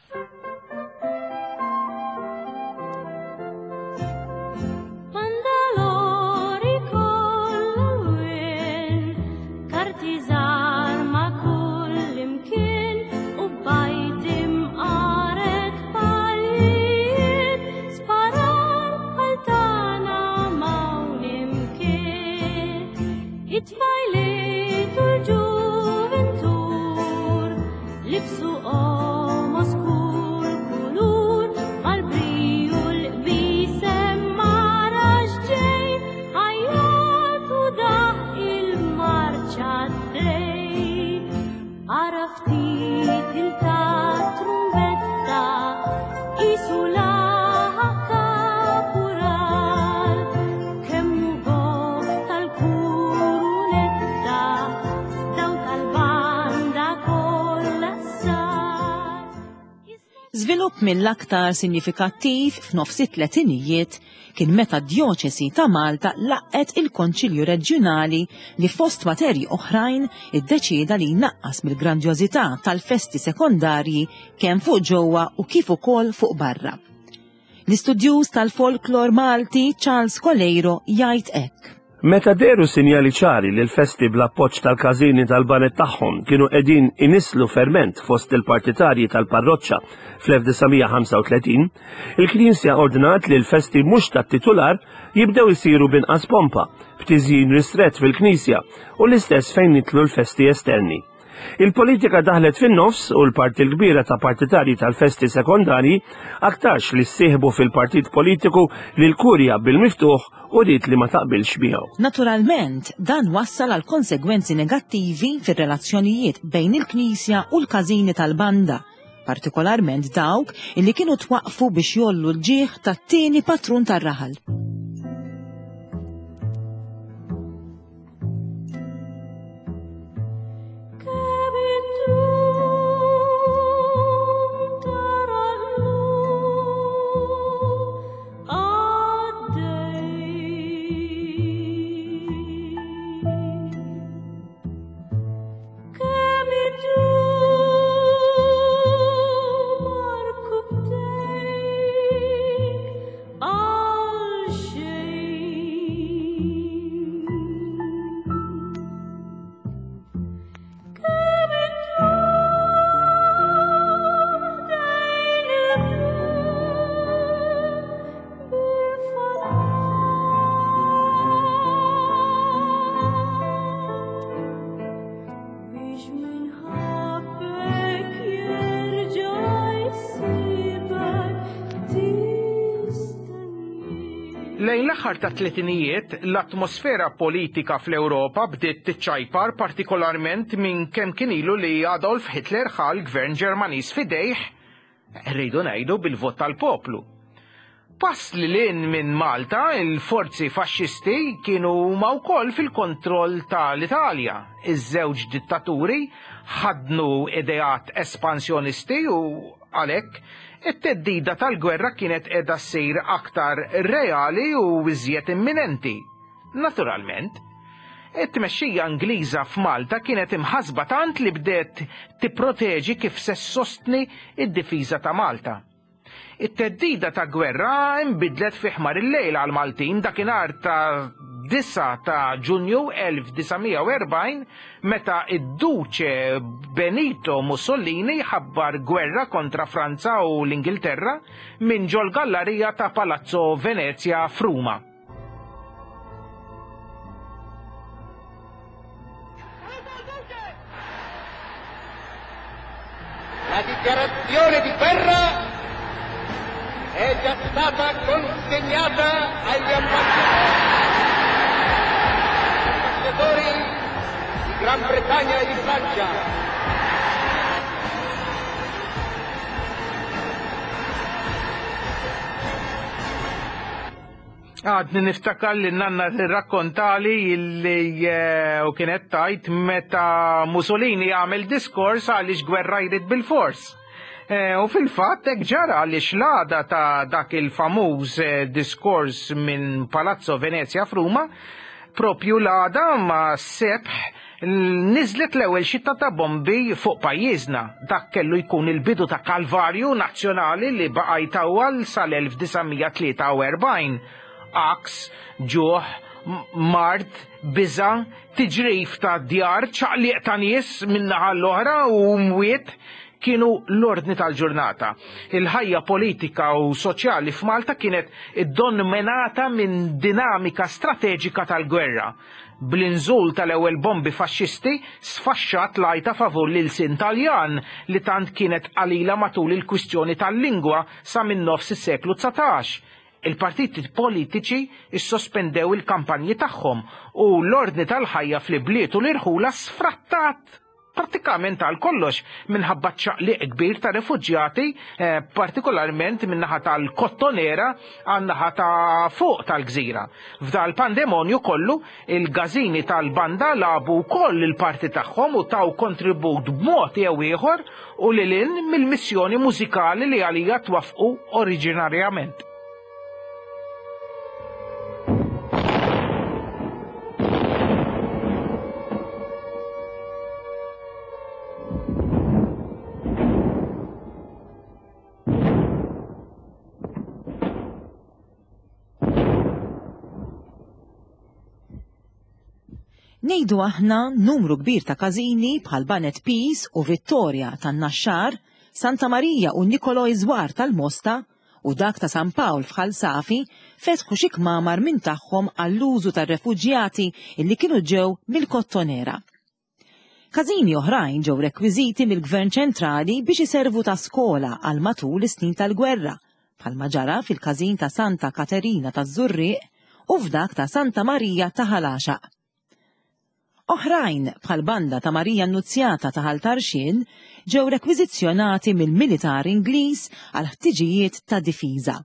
Żvilupp mill-aktar sinjifikattiv f'nofs it-tletinijiet kien meta d-Djoċesi ta' Malta laqgħet il-Konċilju Reġjunali li fost materji oħrajn iddeċieda li jnaqqas mill-grandjożità tal-festi sekondarji kemm fuq ġewwa u kif ukoll fuq barra. L-istudjuż tal-folklor Malti Charles Coleiro jgħid hekk. Meta dehru sinjali ċari li l-festi bl-appoġġ tal-każini tal-baned tagħhom kienu qegħdin inisslu ferment fost il-partitarji tal-parroċċa fl-1935, il-Knisja ordnat li l-festi mhux tat-titular jibdew isiru b'inqas pompa, b'tiżjin ristrett fil-knisja u l-istess fejn jidħlu l-festi esterni. Il-politika daħlet fin-nofs u l-parti l-kbira ta' partitarji tal-festi sekondarji aktarx li ssieħbu fil-partit politiku li l-Kurja bil-miftuħ uriet li ma taqbilx miegħu. Naturalment, dan wassal għal konsegwenzi negattivi fir-relazzjonijiet bejn il-Knisja u l-każini tal-banda, partikolarment dawk illi kienu twaqqfu biex jgħollu l-ġieħ tat-tieni patrun tar-raħal. Lejn l-aħħar tat-tletinijiet, l-atmosfera politika fl-Ewropa bdiet tiċċajpar partikolarment minn kemm kien ilu li Adolf Hitler ħa l-gvern Ġermaniż f'idejh, rridu ngħidu bil-vot tal-poplu. Pass lil hinn minn Malta, il-forzi faxxisti kienu huma wkoll fil-kontroll ta' l-Italja. Iż-żewġ dittaturi ħaddnu ideat espansjonisti u, għalhekk, it-theddida tal-gwerra kienet qiegħda ssir aktar reali u iżjed imminenti. Naturalment, it-tmexxija Ingliża f'Malta kienet imħassba tant li bdiet tipproteġi kif se ssostni d-difiża ta' Malta. It-theddida ta' gwerra nbidlet fi ħmar il-lejl għall-Maltin dakinhar ta' 9 ta' Ġunju 1940 meta d-Duċe Benito Mussolini ħabbar gwerra kontra Franza u l-Ingilterra minn ġol-gallarija ta' Palazzo Venezia f'Ruma. La dichiarazione di guerra è già stata consegnata agli ambasciatori di Gran Bretagna e di Francia. Għadni niftakar li nanna tirrakkontali li eh, u kienet tajt meta Mussolini għamel diskors għaliex gwerra jrid bil-fors. Eh, u fil-fatt hekk ġara għaliex l-għada ta' dak il-famuż eh, diskors minn Palazzo Venezia f'Ruma, propju l-għada ma' sebħ niżlet l-ewwel xitta ta' bombi fuq pajjiżna. Dak kellu jkun il-bidu ta' kalvarju nazzjonali li baqa' jtawwal sal-1943. Għaks, ġuħ, mard, biża', tiġrif ta' djar, ċaqliq ta' nies min-naħa l-oħra u mwiet kienu l-ordni tal-ġurnata. Il-ħajja politika u soċjali f'Malta kienet iddominata minn dinamika strateġika tal-gwerra. Bl-inżul tal-ewwel bombi faxxisti sfaxxat l-għajta favur l-ilsien Taljan li tant kienet qalila matul il-kwistjoni tal-lingwa sa minn nofs is-seklu 19. Il-partiti politiċi ssospendew il-kampanji tagħhom u l-ordni tal-ħajja fl-ibliet u l-irħula sfrattat prattikament għal kollox minħabba ċ-ċaqliq kbir ta' refuġjati, eh, partikolarment min-naħa tal-Kottonera għan-naħa ta' fuq tal-gżira. F'dal pandemonju kollu, il-gażini tal-banda labu wkoll il-parti tagħhom u taw kontribut b'mod jew ieħor u lil hinn mill-missjoni mużikali li għalija twaffqu oriġinarjament. Ngħidu aħna numru kbir ta' każini bħal Banet Peace u Vittoria tan-Naxxar, Santa Marija u Nicolò Iżwar tal-Mosta u dak ta' San Pawl f'Ħal Safi fetħu xi kmamar minn tagħhom għall-użu tar-refuġjati illi kienu ġew mill-Kottonera. Każini oħrajn ġew rekwiżiti mill-Gvern ċentrali biex iservu ta' skola għal matul is-snin tal-gwerra, bħalma ġara fil-każin ta' Santa Katerina taż-Żurrieq u f'dak ta' Santa Marija ta' Ħal Għaxaq. Oħrajn, bħall-Banda ta' Marija Annuzjata ta' Ħal Tarxien, ġew rekwiżizzjonati mill-militar Ingliż għal ħtiġijiet ta' difiża.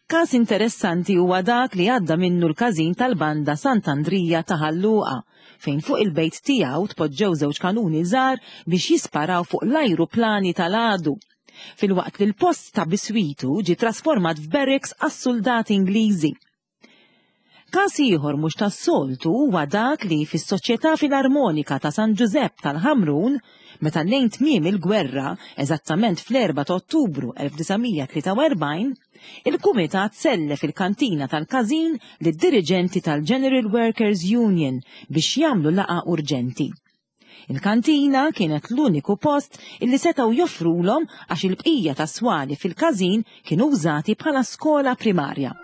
Każ interessanti huwa dak li għadda minnu l-każin tal-Banda Sant'Andrija ta' Ħal Luqa, fejn fuq il-bejt tiegħu tpoġġew żewġ kanuni żgħar biex jisparaw fuq l-ajruplani tal-għadu, filwaqt li l-post ta' biswitu ġie trasformat f'barracks għas-suldati Ingliżi. Każ ieħor mhux tas-soltu huwa dak li fis-Soċjetà Filarmonika ta' San Ġużepp tal-Ħamrun, meta lejn tmiem il-gwerra, eżattament fl-4 ta' Ottubru 1943, il-kumitat sellef il-kantina tal-każin lid-diriġenti tal-General Workers' Union biex jagħmlu laqgħa urġenti. Il-kantina kienet l-uniku post illi setgħu joffrulhom għax il-bqija tas-swali fil-każin kienu wżati bħala skola primarja.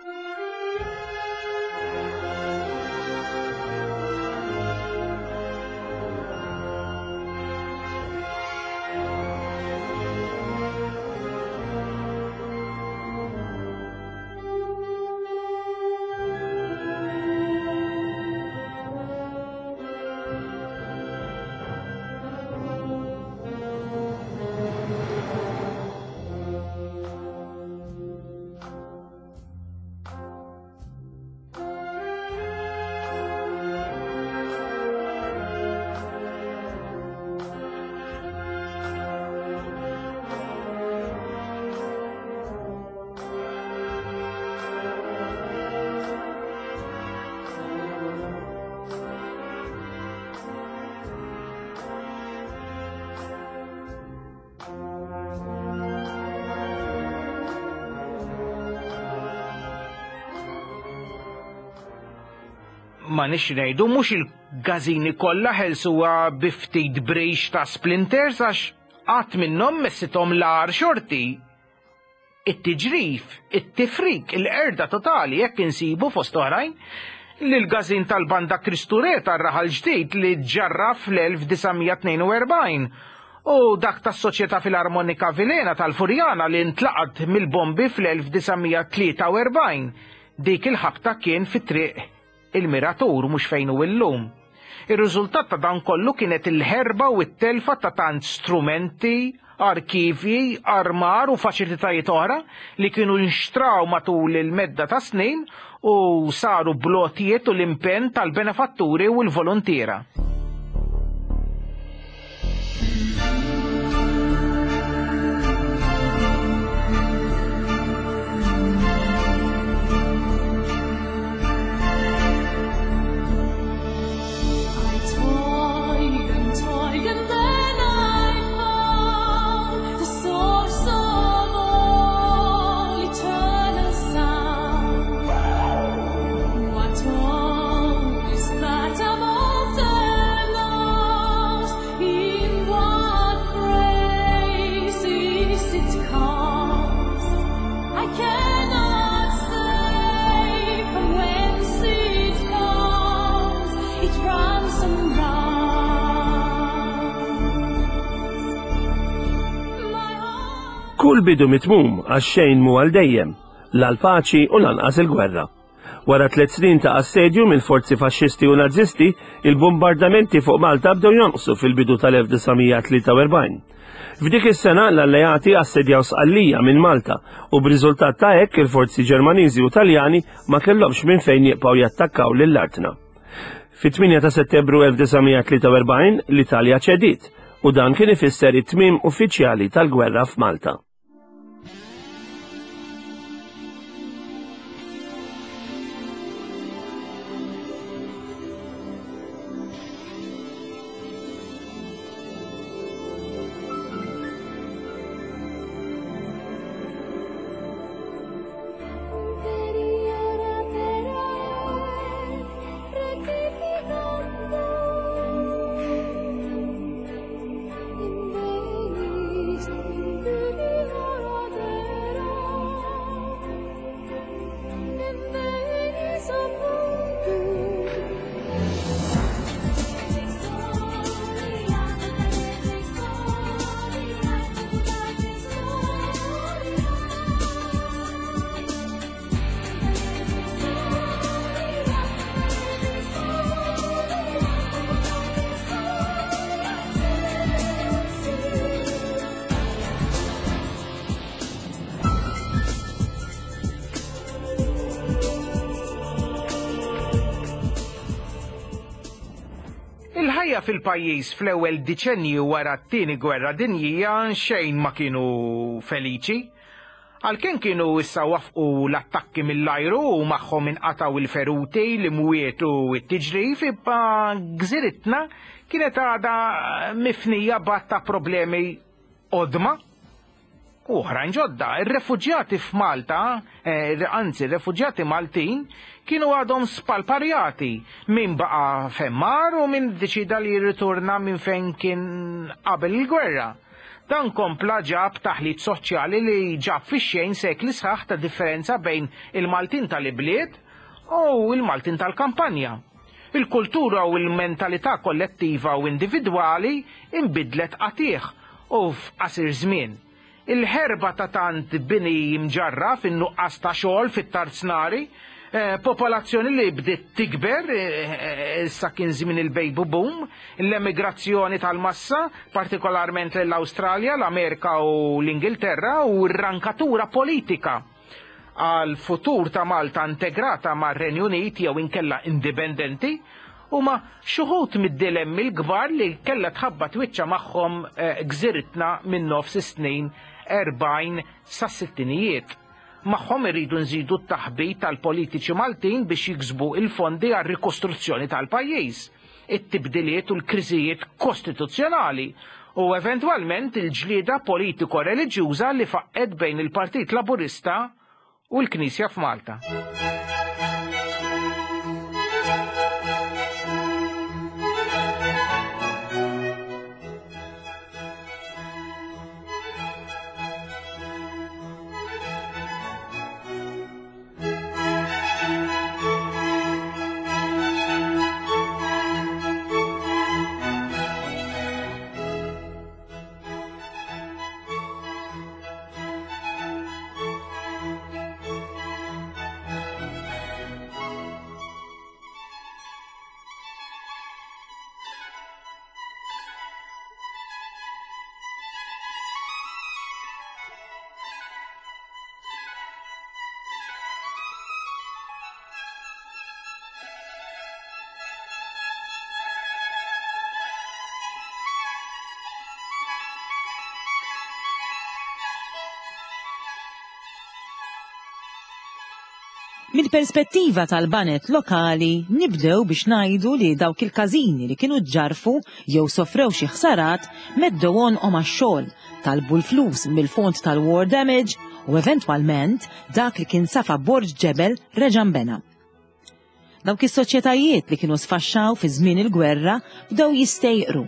Ma nix ngħidu mhux il-gażini kollha ħelsuha bi ftit brix ta' splinters għax qatt minnhom messithom l-agħar xorti. It-tiġrif, it-tifrik, il-qerda totali hekk insibu fost oħrajn lill-każin tal-Banda Kristu Re tar-Raħal Ġdid li ġġarraf fl-1942 u dak tas-Soċjetà Filarmonika Vilhena tal-Furjana li ntlaqat mill-bombi fl-1943. Dik il-ħabta kien fi Triq il-Miratur mhux fejn hu illum. Ir-riżultat ta' dan kollu kienet il-ħerba u t-telfa ta' tant strumenti, arkivji, armar u faċilitajiet oħra li kienu nxtraw matul il-medda ta' snin u saru bl-għotjiet u l-impenn tal-benefatturi u l-voluntiera. Kull bidu mitmum għax xejn mhu għal dejjem, la l-paċi u lanqas il-gwerra. Wara tliet snin ta' assedju mill-forzi faxxisti u Nazisti, il-bombardamenti fuq Malta bdew jonqsu fil-bidu tal-1943. F'dik is-sena l-Alleati assedjaw Sqallija minn Malta u b'riżultat ta' hekk il-forzi Ġermaniżi u Taljani ma kellhomx minn fejn jibqgħu jattakkaw lil artna. Fit-8 ta' Settembru 1943 l-Italja ċediet u dan kien ifisser it-tmiem uffiċjali tal-gwerra f'Malta. Il-ħajja fil-pajjiż fl-ewwel diċenju wara t-Tieni Gwerra Dinjija xejn ma kienu feliċi. Għalkemm kienu issa waffqu l-attakki mill-ajru u magħhom inqatgħu l-feruti, l-imwiet u t-tiġrif, imma gżiritna kienet għadha mifnija b'għadd ta' problemi qodma u oħrajn ġodda. Ir-refuġjati f'Malta, anzi r-refuġjati Maltin, kienu għadhom spalparjati, min baqa' fejn mar u min iddeċieda li jirritorna minn fejn kien qabel il-gwerra. Dan kompla ġab taħlit soċjali li ġab fix-xejn sekli sħaħ ta' differenza bejn il-Maltin tal-ibliet u l-Maltin tal-kampanja. Il-kultura u l-mentalità kollettiva u individwali inbidlet qatigħ u f'qasir żmien. Il-ħerba ta' tant bini mġarraf, in-nuqqas ta' xogħol fit-tarznari, popolazzjoni li bdiet tikber, issa kien żmien il-baby boom, l-emigrazzjoni tal-massa, partikolarment lejn l-Awstralja, l-Amerika u l-Ingilterra, u r-rankatura politika għal futur ta' Malta integrata mar-Renju Unit jew inkella indipendenti, huma xi wħud mid-dilemmi l-kbar li kellha tħabbat wiċċha magħhom gżiritna minn nofs is-snin 40 sas-sittinijiet. Magħhom irridu nżidu t-taħbit tal-politiċi Maltin biex jiksbu l-fondi għar-rikostruzzjoni tal-pajjiż, it-tibdiliet u l-kriżijiet kostituzzjonali u eventwalment il-ġlieda politiko-reliġjuża li faqqgħet bejn il-Partit Laburista u l-Knisja f'Malta. Mill-perspettiva tal-baned lokali nibdew biex ngħidu li dawk il-każini li kienu ġġarrfu jew sofrew xi ħsarat meddew għonqhom għax-xogħol, talbu l-flus mill-fond tal-war damage u eventwalment dak li kien safa borġ ġebel reġa' nbena. Dawk is-soċjetajiet li kienu sfaxxaw fi żmien il-gwerra bdew jistejqru.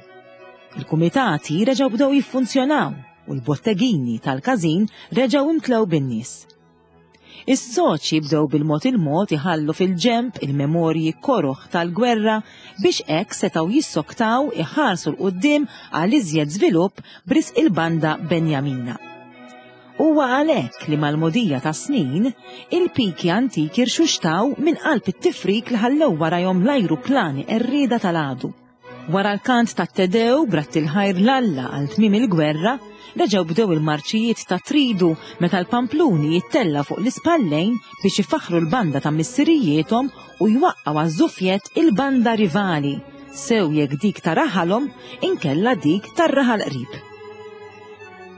Il-kumitati reġgħu bdew jiffunzjonaw u l-bottegini tal-każin reġgħu imtlew bin-nies. Is-soċji bdew bil-mod il-mod iħallu fil-ġenb il-memorji koroh tal-gwerra biex hekk setgħu jissoktaw iħarsu 'l quddiem għal iżjed żvilupp b'risq il-Banda Benjamina. Huwa għalhekk li mal-mogħdija tas-snin, il-piki antiki rxuxtaw minn qalb it-tifrik li ħallew warajhom l-ajruplani qerrieda tal-għadu. Wara l-kant tat-Te Deu b'radd il-ħajr 'l Alla għal tmiem il-gwerra, reġgħu bdew il-marċijiet ta' Tridu meta l-pampluni jittellgħu fuq l-ispallejn biex ifaħħru l-banda ta' missirijiethom u jwaqqgħu għaż-żufjett il-banda rivali, sew jekk dik ta' raħalhom inkella dik tar-raħal qrib.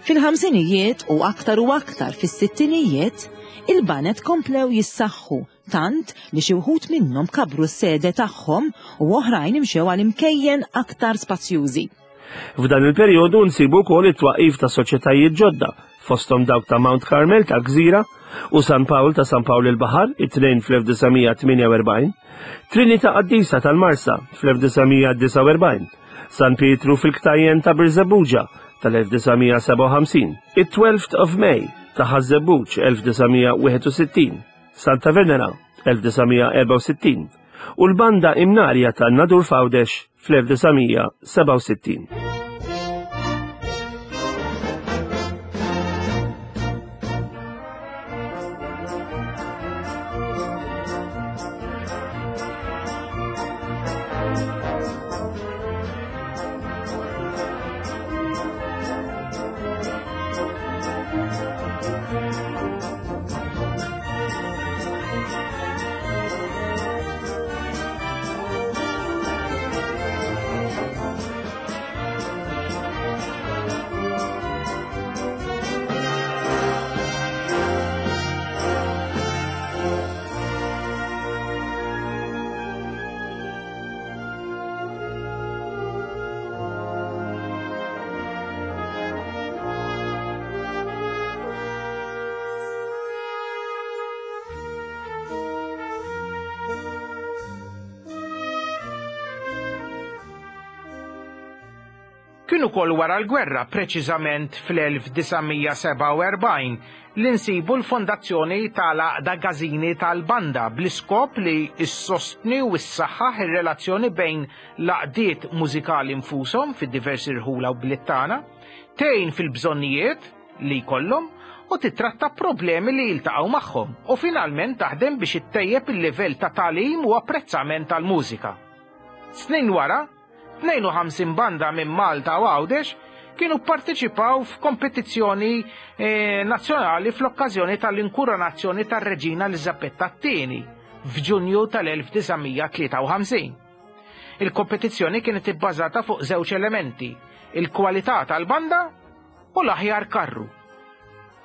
Fil-ħamsinijiet u aktar u aktar fis-sittinijiet, il-baned komplew jissaħħu tant li xi wħud minnhom kabbru s-sede tagħhom u oħrajn imxew għal imkejjen aktar spazjużi. F'dan il-perjodu nsibu wkoll it-twaqqif ta' soċjetajiet ġodda, fosthom dawk ta' Mount Carmel tal-Gżira u San Pawl ta' San Pawl il-Baħar, it-tnejn fl-1948, Trinita Qaddisa tal-Marsa fl-1949, San Pietru fil-Ktajjen ta' Birżebbuġa tal-1957, it-Twelfth of May ta' Ħaż-Żebbuġ 1961, Santa Venera 1964 u l-Banda Imnarja ta' Nadur f'Għawdex fl-1967. Kien ukoll wara l-gwerra, preċiżament fl-1947, li nsibu l-fondazzjoni tal-Għaqda Gażini tal-Banda bl-iskop li ssostni u ssaħħaħ ir-relazzjoni bejn l-għaqdiet mużikali nfushom fid-diversi rħula u bliet tagħna, tgħin fil-bżonnijiet li jkollhom u tittratta problemi li jiltaqgħu magħhom u finalment taħdem biex ittejjeb il-livell ta' tagħlim u apprezzament tal-mużika. Snin wara, 52 banda minn Malta u Għawdex kienu pparteċipaw f'kompetizzjoni eh, nazzjonali fl-okkażjoni tal-inkuronazzjoni tar-Reġina Eliżabetta II f'Ġunju tal-1953. Il-kompetizzjoni kienet ibbażata fuq żewġ elementi, il-kwalità tal-banda u l-aħjar karru.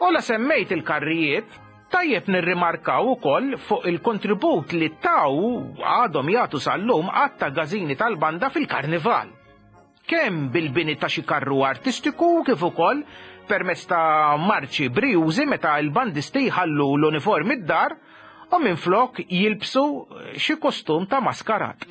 U la semmejt il-karrijiet, tajjeb nirrimarkaw ukoll fuq il-kontribut li taw għadhom jagħtu sal-lum għadd ta' gażini tal-banda fil-karnival. Kemm bil-bini ta' xi karru artistiku kif ukoll permezz ta' marċi brijużi meta l-bandisti jħallu l-uniformi d-dar u minflok jilbsu xi kostum ta' maskarat.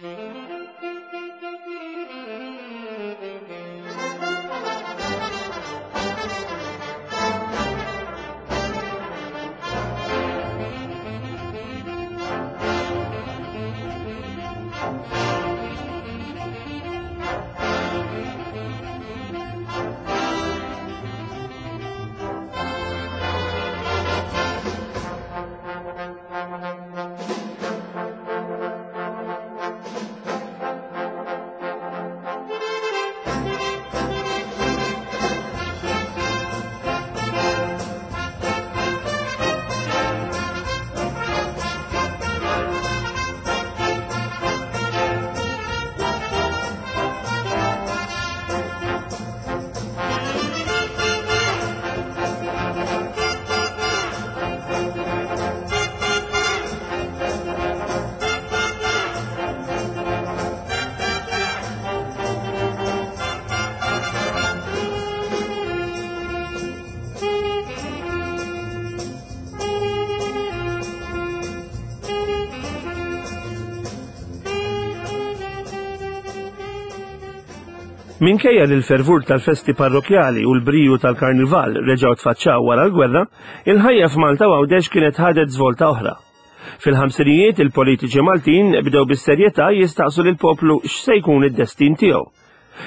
Minkejja li l-fervur tal-festi parrokjali u l-briju tal-karnival reġgħu tfaċċaw wara l-gwerra, il-ħajja f'Malta u Għawdex kienet ħadet żvolta oħra. Fil-ħamsinijiet il-politiċi Maltin bdew bis-serjetà jistaqsu lill-poplu x'se jkun id-destin tiegħu.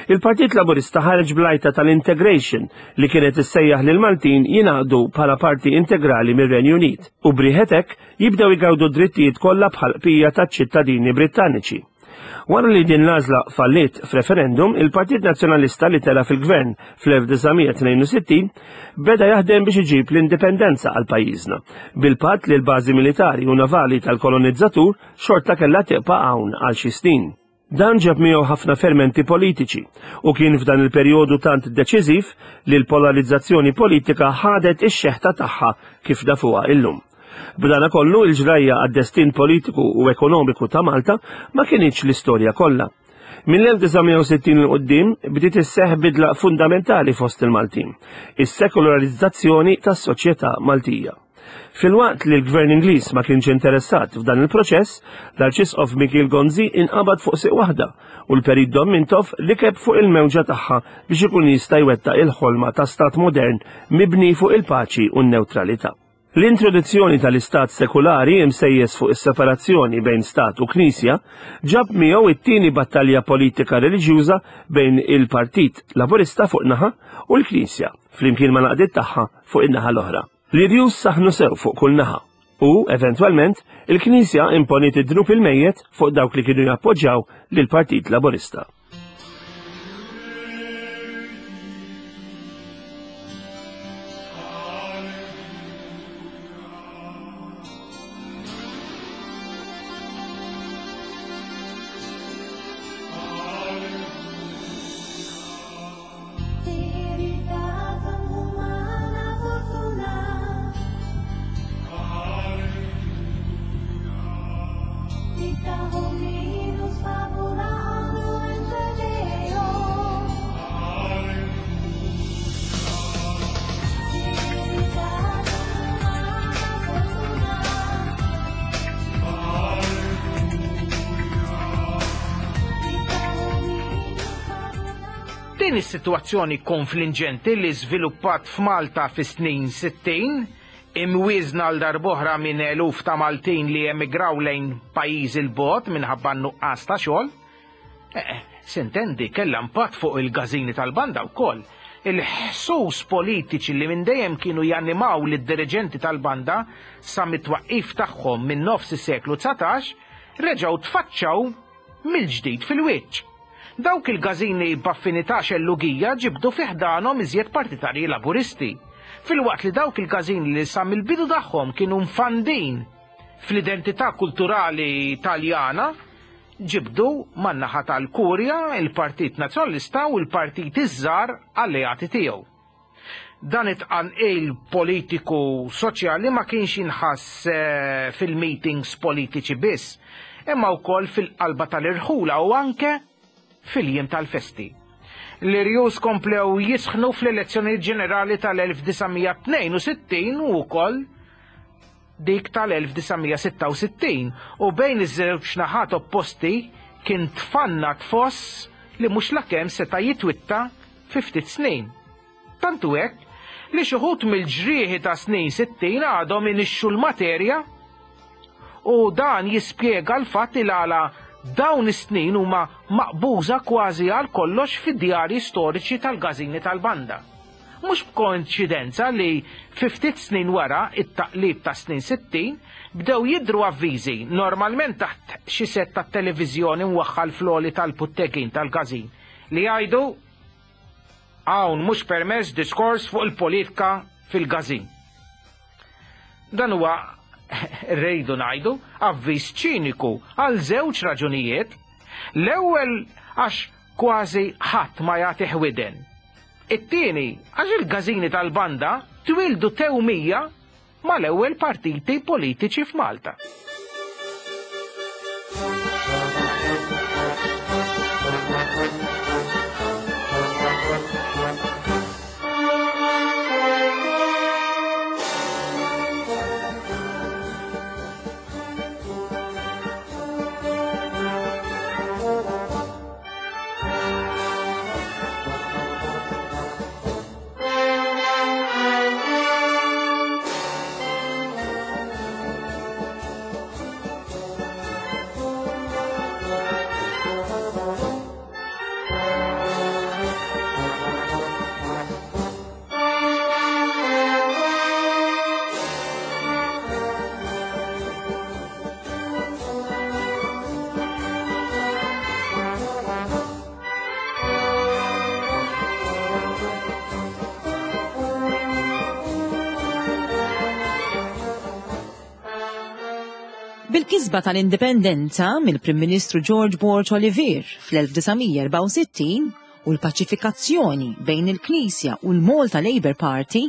Il-Partit Laburista ħareġ bl-għajta tal-integration li kienet issejjaħ lill-Maltin jingħaqdu bħala parti integrali mir-Renju Unit u b'riħet hekk jibdew igawdu d-drittijiet kollha bħall-qpija taċ-ċittadini Brittaniċi. Wara li din l-għażla falliet f'referendum, il-Partit Nazzjonalista li tela' fil-gvern fl-1962 beda jaħdem biex iġib l-indipendenza għal pajjiżna, bil-patt li l-bażi militari u navali tal-kolonizzatur xorta kellha tibqa' hawn għal xi snin. Dan ġab miegħu ħafna fermenti politiċi u kien f'dan il-perjodu tant deċiżiv li l-polarizzazzjoni politika ħadet ix-xeħta tagħha kif nafuha illum. B'dana kollu il-ġrajja għad-destin politiku u ekonomiku ta' Malta ma kinitx l-istorja kollha. Mill-1960 'l quddiem bdiet isseħħ bidla fundamentali fost il-Maltin, is-sekolarizzazzjoni tas-soċjetà Maltija. Filwaqt li l-Gvern Ingliż ma kienx interessat f'dan il-proċess, l-Arċisqof Mikiel Gonzi inqabad fuq siq waħda u l-Perit Dom Mintoff rikeb fuq il-mewġa tagħha biex ikun jista' jwettaq il-ħolma ta' stat modern mibni fuq il-paċi u n-newtralità. L-introduzzjoni tal-istat sekulari imsejjes fuq is-separazzjoni bejn stat u knisja ġab miegħu it-tieni battalja politika reliġjuża bejn il-Partit Laburista fuq naħa u l-Knisja flimkien mal-għaqdiet tagħha fuq in-naħa l-oħra. L-irjus saħnu sew fuq kull naħa u, eventwalment, il-Knisja imponiet id-dnub il-mejjet fuq dawk li kienu jappoġġjaw lill-Partit Laburista. Din is-sitwazzjoni konflinġenti li żviluppat f'Malta fis-snin 60, imwieżna għal darb'oħra minn eluf ta' Maltin li emigraw lejn pajjiżi 'l bogħod minħabba n-nuqqas ta' xogħol, eh, sintendi kellha impatt fuq il-gażini tal-banda wkoll. Il-ħsus politiċi li minn dejjem kienu janimaw lid-diriġenti tal-banda sa mit-twaqqif tagħhom minn nofs is-seklu 19 reġgħu tfaċċaw mill-ġdid fil-wiċċ. Dawk il-gażini b'affinità xellugija ġibdu fi ħdanhom iżjed partitarji Laburisti, filwaqt li dawk il-gażini li sa mill-bidu tagħhom kienu mfandin fl-identità kulturali Taljana ġibdu man-naħa tal-Kurja, il-Partit Nazzjonalista u l-partiti ż-żgħar alleati tiegħu. Dan it-tqanqil politiku soċjali ma kienx jinħass eh, fil-meetings politiċi biss, imma wkoll fil-qalba tal-irħula u anke fil-jiem tal-festi. L-irjus komplew jisħnu fl-elezzjonijiet ġenerali tal-1962 u wkoll dik tal-1966 u bejn iż-żewġ naħat opposti kien tfanna tfoss li mhux lakemm seta' jitwitta fi ftit snin. Tant hu hekk li xi wħud mill-ġrieħi ta' snin 60 għadhom inixxu l-materja u dan jispjega l-fatt il għala dawn is-snin huma maqbuża kważi għal kollox fid-djarji storiċi tal-gażini tal-banda. Mhux b'koinċidenza li fi ftit snin wara it-taqlib tas-snin 60 bdew jidhru avviżi, normalment taħt xi sett tat-televiżjoni mwaħħal fl-għoli tal-puttegin tal-każin, li jgħidu Hawn mhux permess diskors fuq il-politka fil-każin. Dan huwa, rridu ngħidu, avviż ċiniku għal żewġ raġunijiet. L-ewwel għax kważi ħadd ma jagħtih widen. It-tieni, għax il-gażini tal-banda twieldu tewmija mal-ewwel partiti politiċi f'Malta. Bil-kisba tal-indipendenza mill-Prim Ministru George Borg Olivier fl-1964 u l-paċifikazzjoni bejn il-Knisja u l-Malta Labour Party,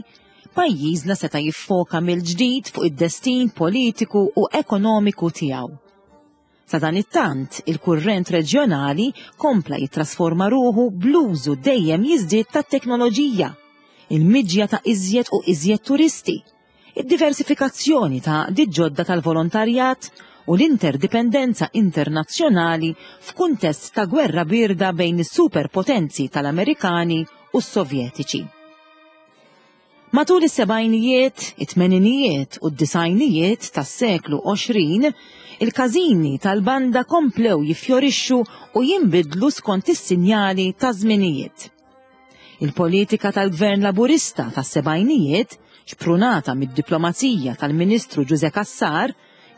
pajjiżna seta' jiffoka mill-ġdid fuq id-destin politiku u ekonomiku tiegħu. Sadanittant, il-kurrent reġjonali kompla jittrasforma ruħu bl-użu dejjem jiżdied tat-teknoloġija, il-miġja ta' iżjed u iżjed turisti, id-diversifikazzjoni ta' għaqdiet ġodda tal-volontarjat u l-interdipendenza internazzjonali f'kuntest ta' gwerra bierda bejn is-superpotenzi tal-Amerikani u s-Sovjetiċi. Matul is-sebgħinijiet, it-tmeninijiet u d-disgħinijiet tas-seklu 20, il-każini tal-banda komplew jiffjorixxu u jinbidlu skont is-sinjali taż-żminijiet. Il-politika tal-Gvern Laburista tas-sebgħinijiet, xprunata mid-diplomazija tal-Ministru Ġużè Cassar,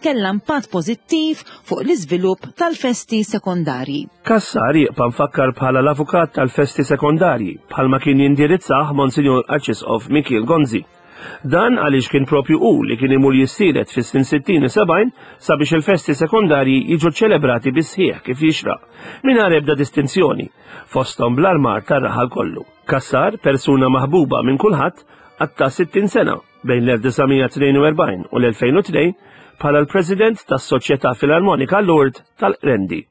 kellha impatt pożittiv fuq l-iżvilupp tal-festi sekondarji. Cassar jibqa' mfakkar bħala l-avukat tal-festi sekondarji, bħalma kien jindirizzah Monsinjur Arċisqof Mikiel Gonzi. Dan għaliex kien propju hu li kien imur jissielet fis-snin 60 u 70 sabiex il-festi sekondarji jiġu ċċelebrati bis-sħiħ kif jixraq, mingħajr ebda distinzjoni, fosthom bl-armar tar-raħal kollu. Cassar, persuna maħbuba minn kulħadd, qatta' 60 sena bejn l-1942 u l-2002 bħala l-President tas-Soċjetà Filarmonika Lourdes tal-Qrendi.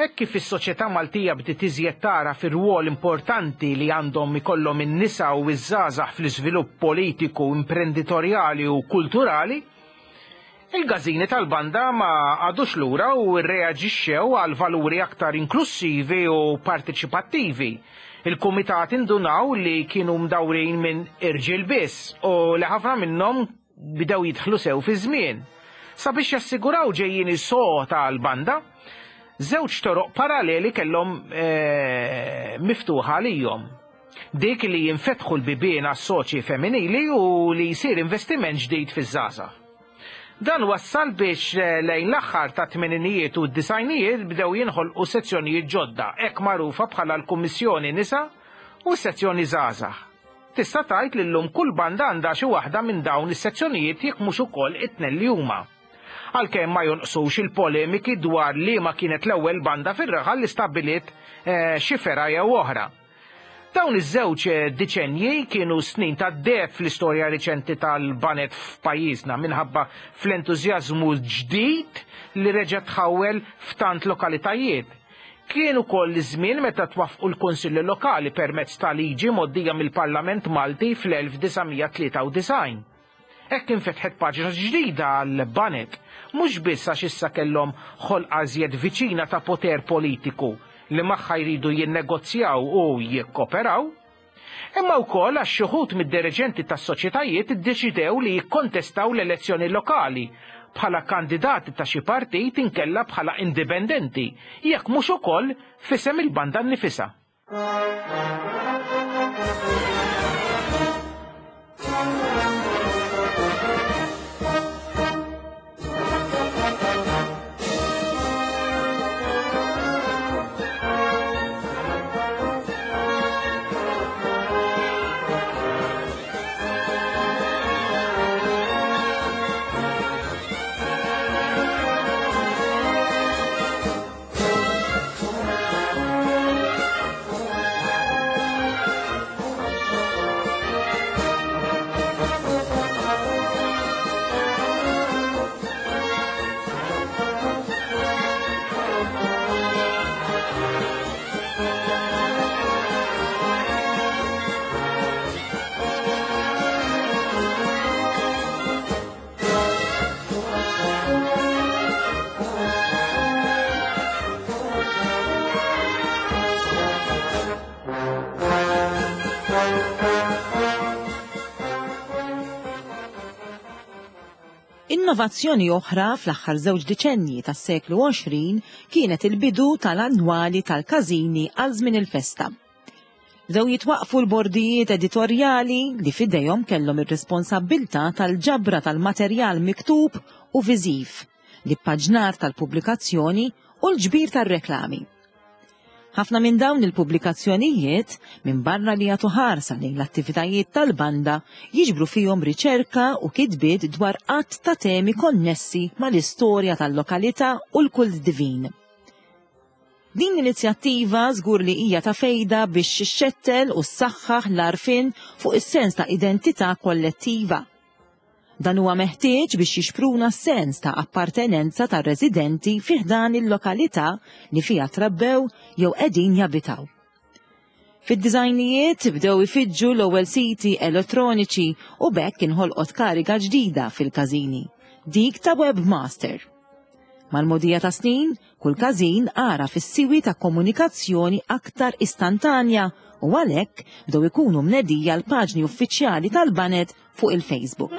Hekk kif is-soċjetà Maltija bdiet iżjed tagħraf ir-rwol importanti li għandhom ikollhom in-nisa u ż-żgħażagħ fl-iżvilupp politiku, imprenditorjali u kulturali, Il-gażini tal-banda ma qagħdux lura u rreaġixxew għal valuri aktar inklussivi u parteċipattivi. Il-kumitati ndunaw li kienu mdawrin minn irġiel biss u li ħafna minnhom bdew jidħlu sew fiż-żmien. Sabiex jassiguraw ġejjieni sod għall-banda, żewġ toroq paraleli kellhom miftuħa għalihom. Dik li jinfetħu l-bibien għas-soċji femminili u li jsir investiment ġdid fiż-żgħażagħ. Dan wassal biex lejn l-aħħar tat-tmeninijiet u d-disgħinijiet bdew jinħolqu sezzjonijiet ġodda, hekk magħrufa bħala l-Kummissjoni Nisa u s-Sezzjoni Żgħażagħ. Tista' tgħid li llum kull banda għandha xi waħda minn dawn is-sezzjonijiet jekk mhux ukoll it-tnejn li huma. Għalkemm ma jonqsux il-polemiki dwar liema kienet l-ewwel banda fir-raħal li stabbiliet xi fergħa jew oħra. Dawn iż-żewġ diċenji kienu snin tad-deheb fl-istorja riċenti tal-baned f'pajjiżna minħabba fl-entużjażmu ġdid li reġa' tħawwel f'tant lokalitajiet. Kien ukoll iż-żmien meta twaffqu l-Kunsilli Lokali permezz ta' liġi mgħoddija mill-Parlament Malti fl-1993. Hekk infetħet paġna ġdida għall-baned, mhux biss għax issa kellhom ħolqa iżjed viċina ta' poter politiku li magħha jridu jinnegozjaw u jikkoperaw, imma wkoll għax xi wħud mid-diriġenti tas-soċjetajiet iddeċidew li jikkontestaw l-elezzjoni lokali bħala kandidati ta' xi partit inkella bħala indipendenti, jekk mhux ukoll f'isem il-banda nnifisha. Innovazzjoni oħra fl-aħħar żewġ diċenji tas-seklu 20 kienet il-bidu tal-annwali tal-każini għal żmien il-festa. Bdew jitwaqqfu l-bordijiet editorjali li f'idejhom kellhom ir-responsabbiltà tal-ġabra tal-materjal miktub u viżiv, l-ippaġnar tal-pubblikazzjoni u l-ġbir tar-reklami. Ħafna minn dawn il-pubblikazzjonijiet, minbarra li jagħtu ħarsa lejn l-attivitajiet tal-banda, jiġbru fihom riċerka u kitbiet dwar għadd ta' temi konnessi mal-istorja tal-lokalità u l-kult divin. Din l-inizjattiva żgur li hija ta' fejda biex xxettel u ssaħħaħ l-għarfien fuq is-sens ta' identità kollettiva. Dan huwa meħtieġ biex jixpruna s-sens ta' appartenenza tar-residenti fi ħdan il-lokalità li fiha trabbew jew qegħdin jabitaw. Fid-disgħinijiet bdew ifiġġu l-ewwel siti elettroniċi u b'hekk inħolqot kariga ġdida fil-każini, dik ta' webmaster. Mal-mogħdija tas-snin, kull każin għaraf is-siwi ta' komunikazzjoni aktar istantanja u għalhekk bdew ikunu mnedija l-paġni uffiċjali tal-baned fuq il-Facebook.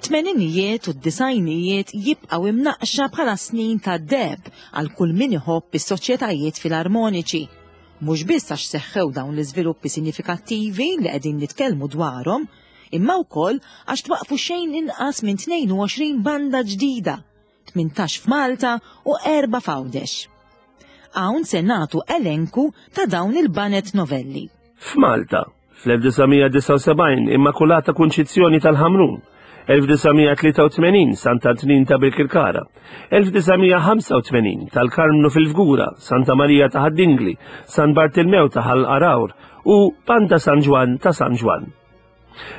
It-tmeninijiet u d-disgħinijiet jibqgħu imnaqqxa bħala snin ta' deheb għal kull min iħobb is-soċjetajiet filarmoniċi. Mhux biss għax seħħew dawn l-iżviluppi sinifikattivi li qegħdin nitkellmu dwarhom, imma wkoll għax twaqqfu xejn inqas minn 22 banda ġdida, 18 f'Malta u erba' f'Għawdex. Hawn se nagħtu elenku ta' dawn il-baned novelli. F'Malta, fl-1979 Immakulata Kunċizzjoni tal-Ħamrun, 1983 Sant'Antnin ta' Birkirkara, 1985 tal-Karmnu fil-Fgura, Santa Marija ta' Ħad-Dingli, San Bartilmew ta' Ħal Għargħur u Banda San Ġwann ta' San Ġwann.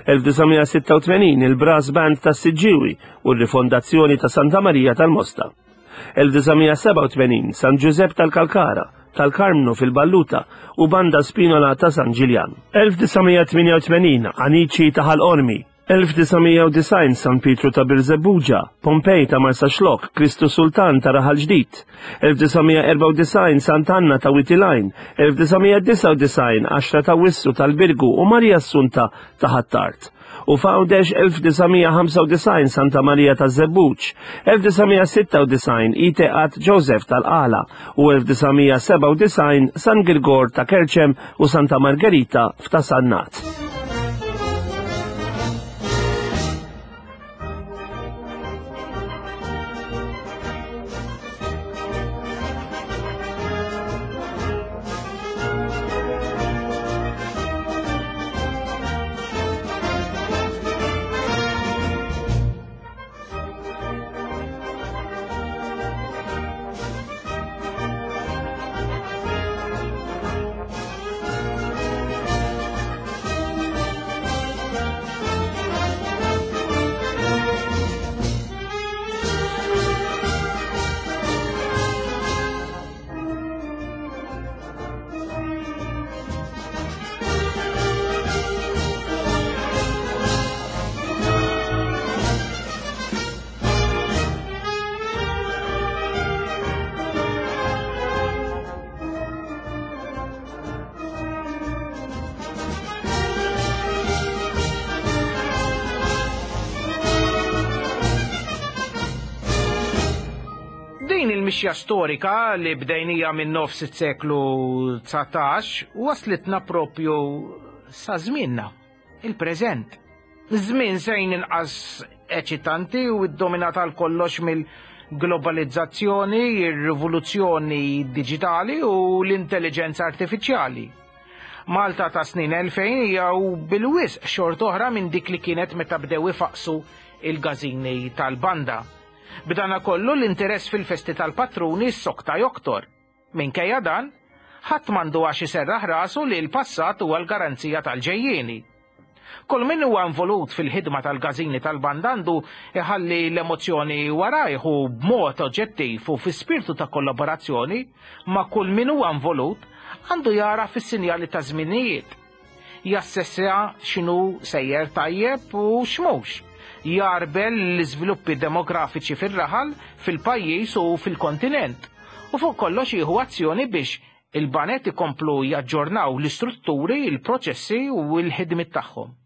1986 il-Brass Band tas-Siġġiewi u r-rifondazzjoni ta' Santa Marija tal-Mosta. 1987 San Ġużepp tal-Kalkara, tal-Karmnu fil-Balluta u Banda Spinola ta' San Ġiljan. 1988 Anici ta' Ħal Qormi, 1990 San Pietru ta' Birżebbuġa, Pompej ta' Marsaxlokk, Kristu Sultan ta' Raħal Ġdid, 1994 Sant'Anna ta' Wied il-Għajn, 1999 Għaxra ta' Wissu tal-Birgu u Marija Assunta ta' Ħ'Attard. U f'Għawdex 1995 Santa Marija taż-Żebbuġ, 1996 Iteqat Joseph tal-Qala u 1997 San Girgor ta' Kerċem u Santa Margherita f'Ta' Sannat. Din il-mixja storika li bdejnija minn nofs is-seklu 19 waslitna propju sa żmienna, il-preżent. Żmien sejn inqas eċitanti u ddominat għal kollox mill-globalizzazzjoni, ir-rivoluzzjoni diġitali u l-intelliġenza artifiċjali. Malta ta' snin 2000 hija u bil-wisq xort oħra minn dik li kienet meta bdew ifaqsu il-gażini tal-banda. B'dana kollu l-interess fil-festi tal-patruni ssokta joktor. Minkejja dan, ħadd m'għandu għax iserraħ rasu li l-passat huwa l-garanzija tal-ġejjieni. Kull min huwa involut fil-ħidma tal-gażini tal-banda għandu iħalli l-emozzjoni warajh u b'mod oġġettiv u fi spirtu ta' kollaborazzjoni ma' kull min huwa involut għandu jagħraf is-sinjali taż-żminijiet. Jassessja x'inhu sejjer tajjeb u x'mhux. Jgħarbel l-iżviluppi demografiċi fir-raħal, fil-pajjiż u fil-kontinent. U fuq kollox jieħu azzjoni biex il-baned ikomplu jaġġornaw l-istrutturi, il-proċessi u l-ħidmiet tagħhom.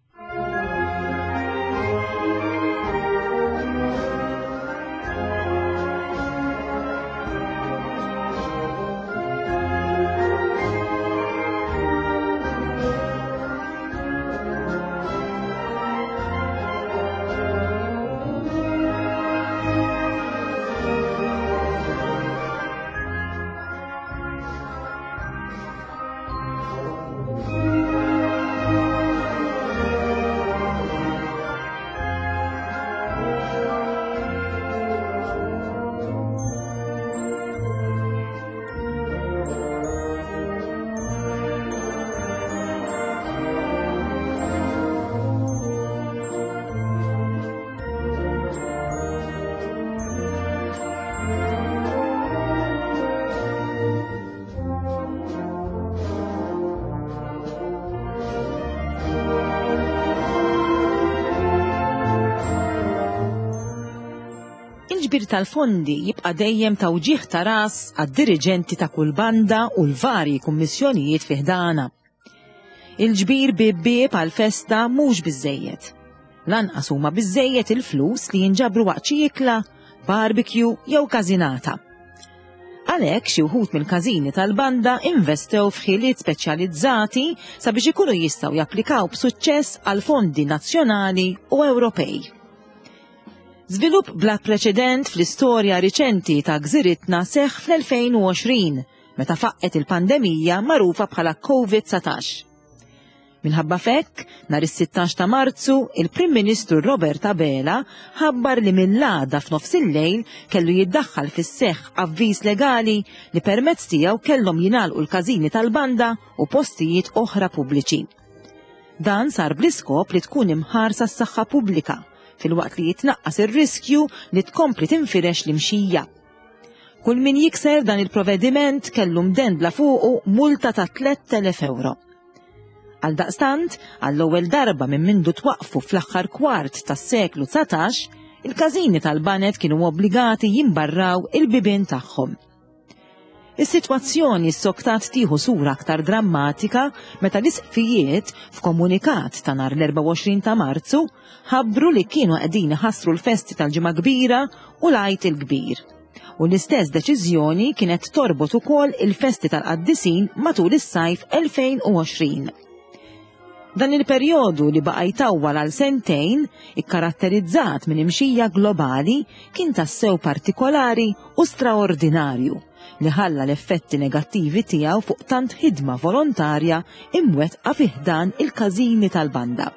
Il-ġbir tal-fondi jibqa' dejjem ta' wġigħ ta' ras għad-diriġenti ta' kull banda u l-varji kummissjonijiet fi ħdana. Il-ġbir bieb bieb għall-festa mhux biżżejjed. Lanqas huma biżżejjed il-flus li jinġabru waqt xi ikla, barbecue jew każinata. Għalhekk xi wħud mill-każini tal-banda investew f'ħiliet speċjalizzati sabiex ikunu jistgħu japplikaw b'suċċess għal fondi nazzjonali u Ewropej. Żvilupp bla preċedent fl-istorja riċenti ta' gżiritna seħħ fl-2020 meta faqqgħet il-pandemija magħrufa bħala Covid-19. Minħabba f'hekk, nhar is-16 ta' Marzu, il-Prim Ministru Robert Abela ħabbar li mill-għada f'nofs il-lejl kellu jiddaħħal fis-seħħ avviż legali li permezz tiegħu kellhom jingħalqu l-każini tal-banda u postijiet oħra pubbliċi. Dan sar bl-iskop li tkun imħarsa s-saħħa pubblika filwaqt li jitnaqqas ir-riskju li tkompli tinfirex l-imxija. Kull min jikser dan il-provediment kellu mdendla fuqu multa ta' 3,000 euro. Għaldaqstant, għall-ewwel darba minn mindu twaqfu fl-aħħar kwart tas-seklu 19, il-każini tal-baned kienu obbligati jimbarraw il-bibien tagħhom. Is-sitwazzjoni ssoktat tieħu sura aktar drammatika meta l-isqfijiet, f'komunikat ta' nhar l-24 ta' Marzu, ħabbru li kienu qegħdin iħassru l-festi tal-Ġimgħa Kbira u l-Għid il-Kbir. U l-istess deċiżjoni kienet torbot ukoll il-festi tal-qaddisin matul is-sajf 2020. Dan il-perjodu li baqa' jtawwal għal sentejn, ikkaratterizzat minn imxija globali, kien tassew partikolari u straordinarju li ħalla l-effetti negattivi tiegħu fuq tant ħidma volontarja imwettqa fi ħdan il-każini tal-banda.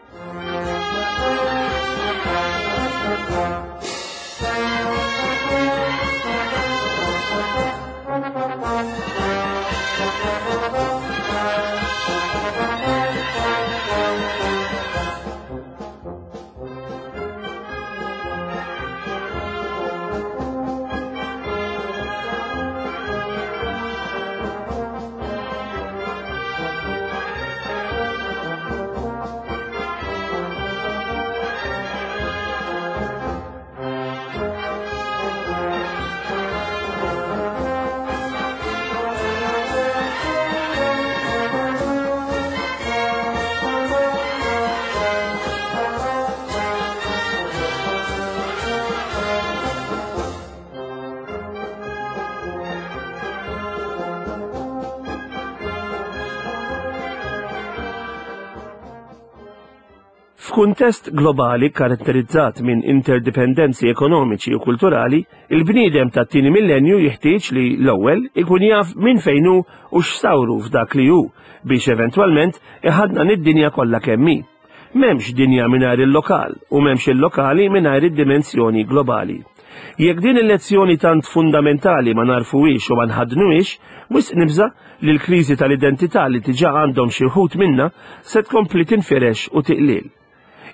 F'kuntest globali karatterizzat minn interdipendenzi ekonomiċi u kulturali, il-bniedem tat-tieni millenju jeħtieġ li l-ewwel ikun jaf minn fejn hu u x'sawru f'dak li hu biex eventwalment iħadnan id-dinja kollha kemm hi. M'hemmx dinja mingħajr il-lokal u m'hemmx il-lokali mingħajr id-dimensjoni globali. Jekk din il-lezzjoni tant fundamentali ma nagħrfuhiex u ma nħaddnuhiex, wisq nibża' li l-kriżi tal-identità li diġà għandhom xi wħud minna se tkompli tinfirex u tiqliel.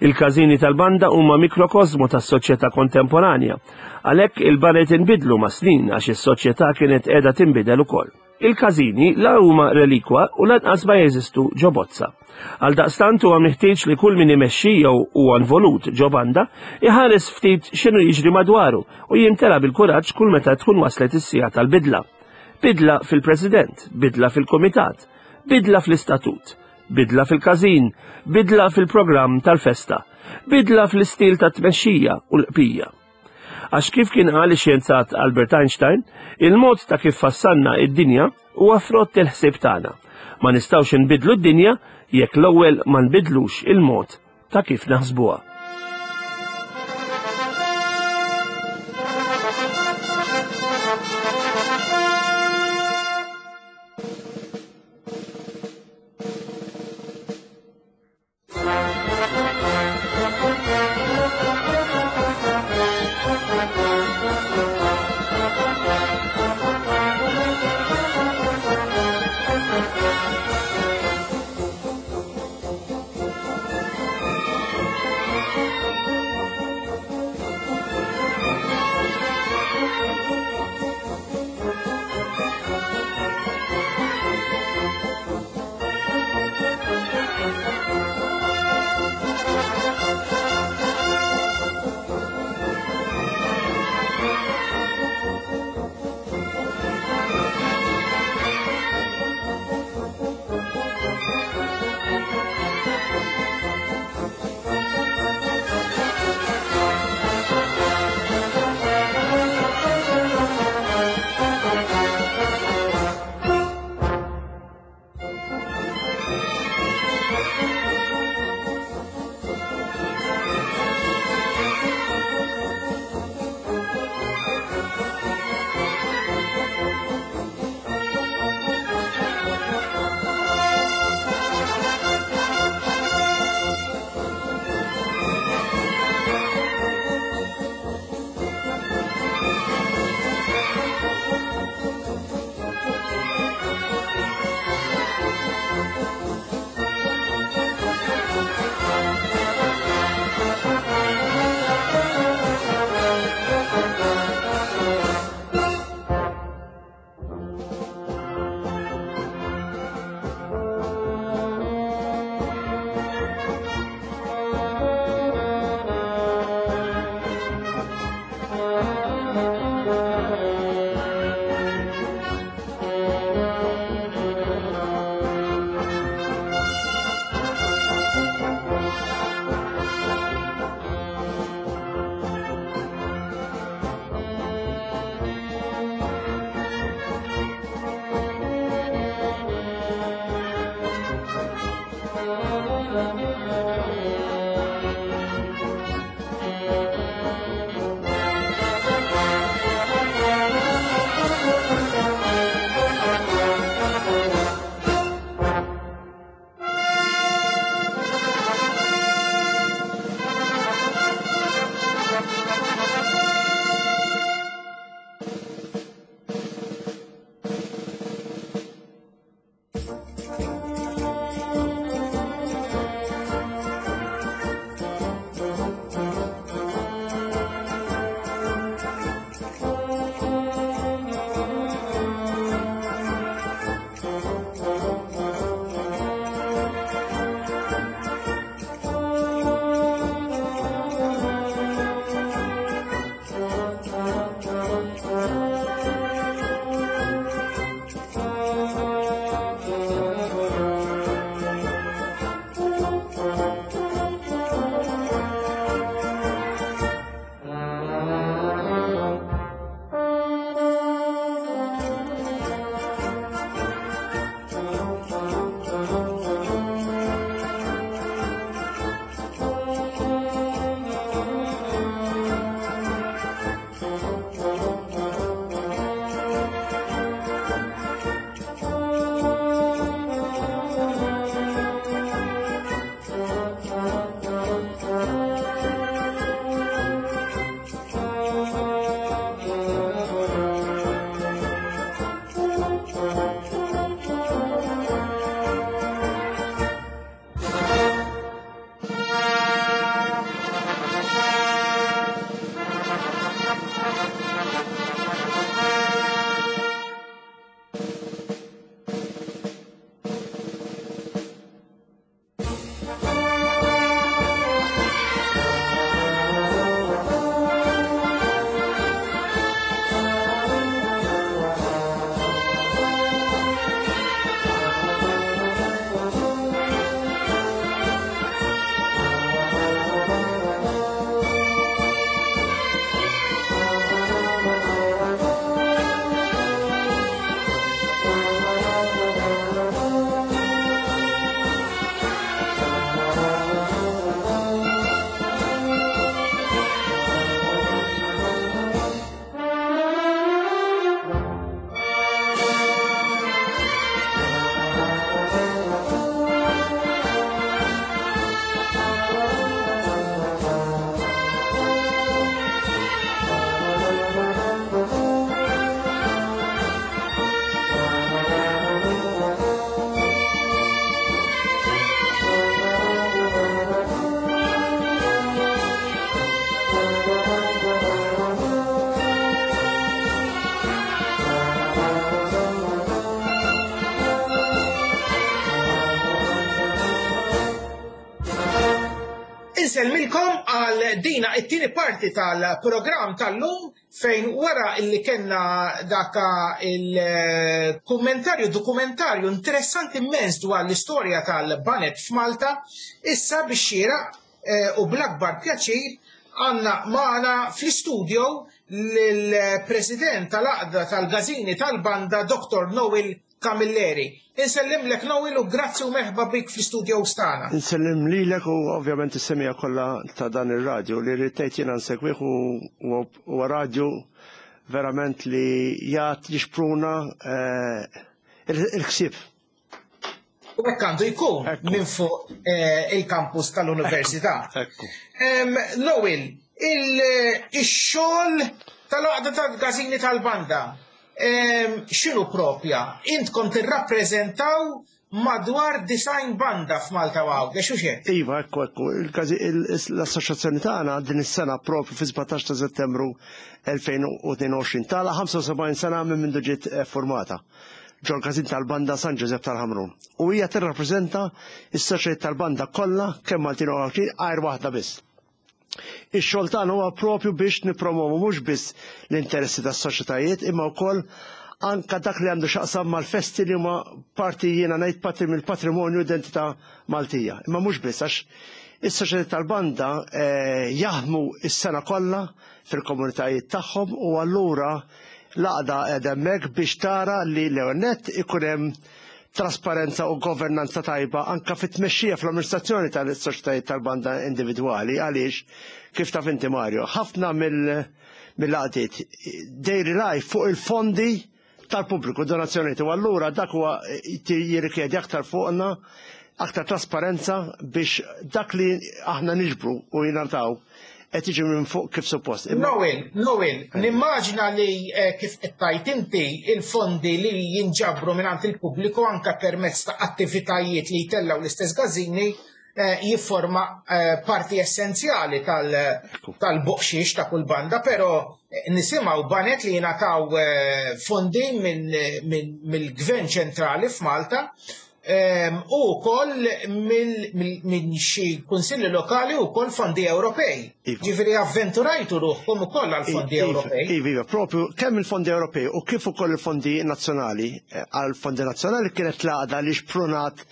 Il-każini tal-banda huma mikrokosmu tas-soċjetà kontemporanja. Għalhekk il-baned inbidlu mas-snin għax is-soċjetà kienet qiegħda tinbidel ukoll. Il-każini la huma relikwa u lanqas ma jeżistu ġo bozza. Għaldaqstant huwa meħtieġ li kull min imexxi jew huwa involut ġo banda iħares ftit x'inhu jiġri madwaru u jimtela bil-kuraġġ kull meta tkun waslet is-siegħa tal-bidla. Bidla fil-President, bidla fil-Kumitat, bidla fl-istatut, bidla fil-każin, bidla fil-programm tal-festa, bidla fl-istil tat-tmexxija u l-qpija. Għax kif kien qal ix-xjenzat Albert Einstein, il-mod ta' kif fassalna id-dinja huwa frott il-ħsieb tagħna. Ma nistgħux inbiddlu d-dinja jekk l-ewwel ma nbiddlux il-mod ta' kif naħsbuha. għal dina it-tieni parti tal-programm tal-lum fejn wara illi kellna daka il-kummentarju dokumentarju interessanti immens dwar l-istorja tal-banet f'Malta, issa biex xieraq eh, u bl-akbar pjaċir għanna maħna fl-studio l-president tal-aqda tal-gazini tal-banda Dr. Noel Camilleri. Insellimlek Noel u grazzi u merħba bik fl-istudio tagħna. Insellim lilek u ovvjament is-semija kollha ta' dan ir-radju li rrid tgħid jiena nsegwih u huwa radju verament li jgħat jixpruna eh, il-ħsieb. U hekk għandu jkun minn fuq eh, il-kampus tal-Università. Noel, il-xogħol tal-għaqda tal-gazini tal-banda X'inhu propja? Intkom tirrappreżentaw madwar 90 banda f'Malta u Għawdex, hux hekk? Iva, ekku, ekku. L-assoċjazzjoni tagħna din is-sena propju fi-17 ta' Settembru 2022 tagħlaq 75 sena minn mindu ġiet eh, formata ġol-każin tal-banda San Ġużepp tal-Ħamrun. U hija tirrappreżenta s-soċjetajiet tal-banda kollha kemm Maltin u Għawdxin għajr waħda biss. Ix-xogħol tagħna huwa propju biex nippromovu mhux biss l-interessi tas-soċjetajiet imma wkoll anka dak li għandu x'aqsam mal-festi li huma parti jiena ngħid parti mill-patrimonju identità Maltija. Imma mhux biss għax is-soċjetà tal-banda eh, jaħdmu s-sena kollha fil-komunitajiet tagħhom u allura l-għaqda qiegħda hemmhekk biex tara li l-ewwel nett ikun hemm trasparenza u governanza tajba anka fit-tmexxija fl-amministrazzjoni tal-soċjetajiet tal-banda individwali għaliex kif taf inti Mario, ħafna mill-għaqdiet they rely fuq il-fondi tal-pubbliku, donazzjonijiet u allura dak huwa jirrikjedi aktar fuqna aktar trasparenza biex dak li aħna niġbru u jingħataw qed jiġi minn fuq kif suppost. Noel, Noel, nimmaġina li eh, kif qed tgħid inti il-fondi li jinġabru mingħand il-pubbliku anke permezz ta' attivitajiet li jtellgħu l-istess gażini eh, jifforma eh, parti essenzjali tal-boqxiex ta' kull banda, però nisimgħu banet li jingħataw fondi mill-Gvern ċentrali f'Malta u wkoll minn xi kunsilli lokali u wkoll fondi Ewropej. Iva. Ġifieri avventurajtu ruħkom ukoll għal fondi iva, Ewropej. Iva, iva, propju kemm il-fondi Ewropej u kif ukoll il-fondi nazzjonali. Eh, għal fondi nazzjonali kienet l-għaqda li xprunat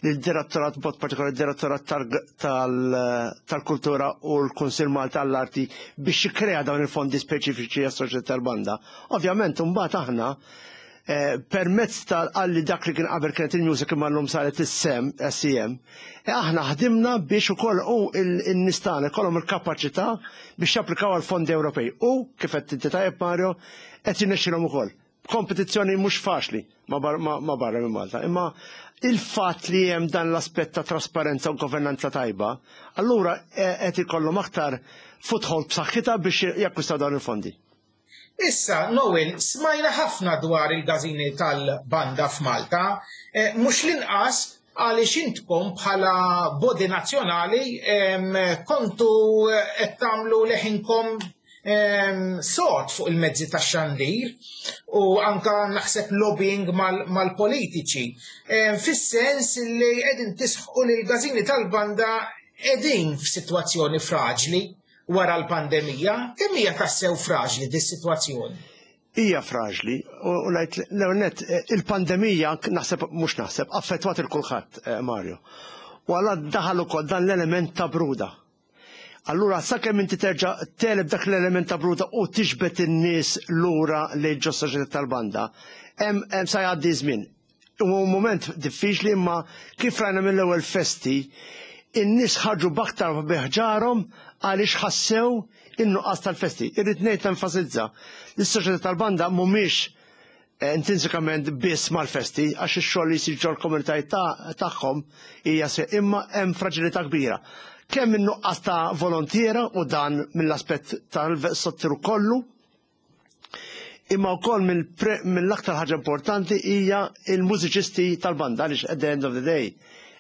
lid-direttorat b'mod partikolari direttorat tal-kultura u l-Kunsill Malta għall-Arti biex jikkrea dawn il-fondi speċifiċi għas-soċjetà tal-banda. Ovvjament, mbagħad aħna Eh, permezz tal-qalli dak li kien qabel kienet il-music imma llum saret is-sem, SEM, eh, aħna ħdimna biex ukoll u n-nies tagħna ikollhom il-kapaċità biex japplikaw għal fondi Ewropej. U kif qed inti tajjeb Mario, qed jirnexxilhom ukoll. Kompetizzjoni mhux faċli ma barra minn Malta, imma il-fatt li hemm dan l-aspett ta' trasparenza u governanza tajba, allura eh, qed ikollhom aktar foothold b'saħħitha biex jakkwistaw dawn il-fondi. Issa, Noel, smajna ħafna dwar il-gażini tal-banda f'Malta, eh, mhux l-inqas għaliex intkom bħala body nazzjonali kontu eh, qed tagħmlu leħinkom sod fuq il-mezzi tax-xandir u anka naħseb lobbying mal-politiċi. Fis-sens li qegħdin tisħqu li l-gażini tal-banda qegħdin f'sitwazzjoni fraġli wara l-pandemija, kemm hija tassew fraġli dis-sitwazzjoni? Hija fraġli, u ngħid l-ewwel nett eh, il-pandemija naħseb mhux naħseb affettwat il kulħadd eh, Mario. U għalla daħal ukoll dan l-element ta' bruda. Allura sakemm inti terġa' teleb dak l-element ta' bruda u tiġbed in-nies lura lejn ġo soċjetà tal-banda, hemm sa jgħaddi żmien. Huwa mument diffiċli imma kif rajna mill-ewwel festi, in-nies ħarġu b'aktar bi ħġarhom għaliex ħassew in-nuqqas tal-festi. Irrid ngħid nenfasizza li s-soċjetà tal-banda mhumiex eh, intrinsikament biss mal-festi għax ix-xogħol li jsir ġol-komunitajiet tagħhom hija se imma hemm fraġilità kbira. Kemm in-nuqqas ta' volontiera u dan mill-aspett tal-settur kollu, Imma wkoll mill-aktar ħaġa importanti hija il-mużiċisti tal-banda għaliex at the end of the day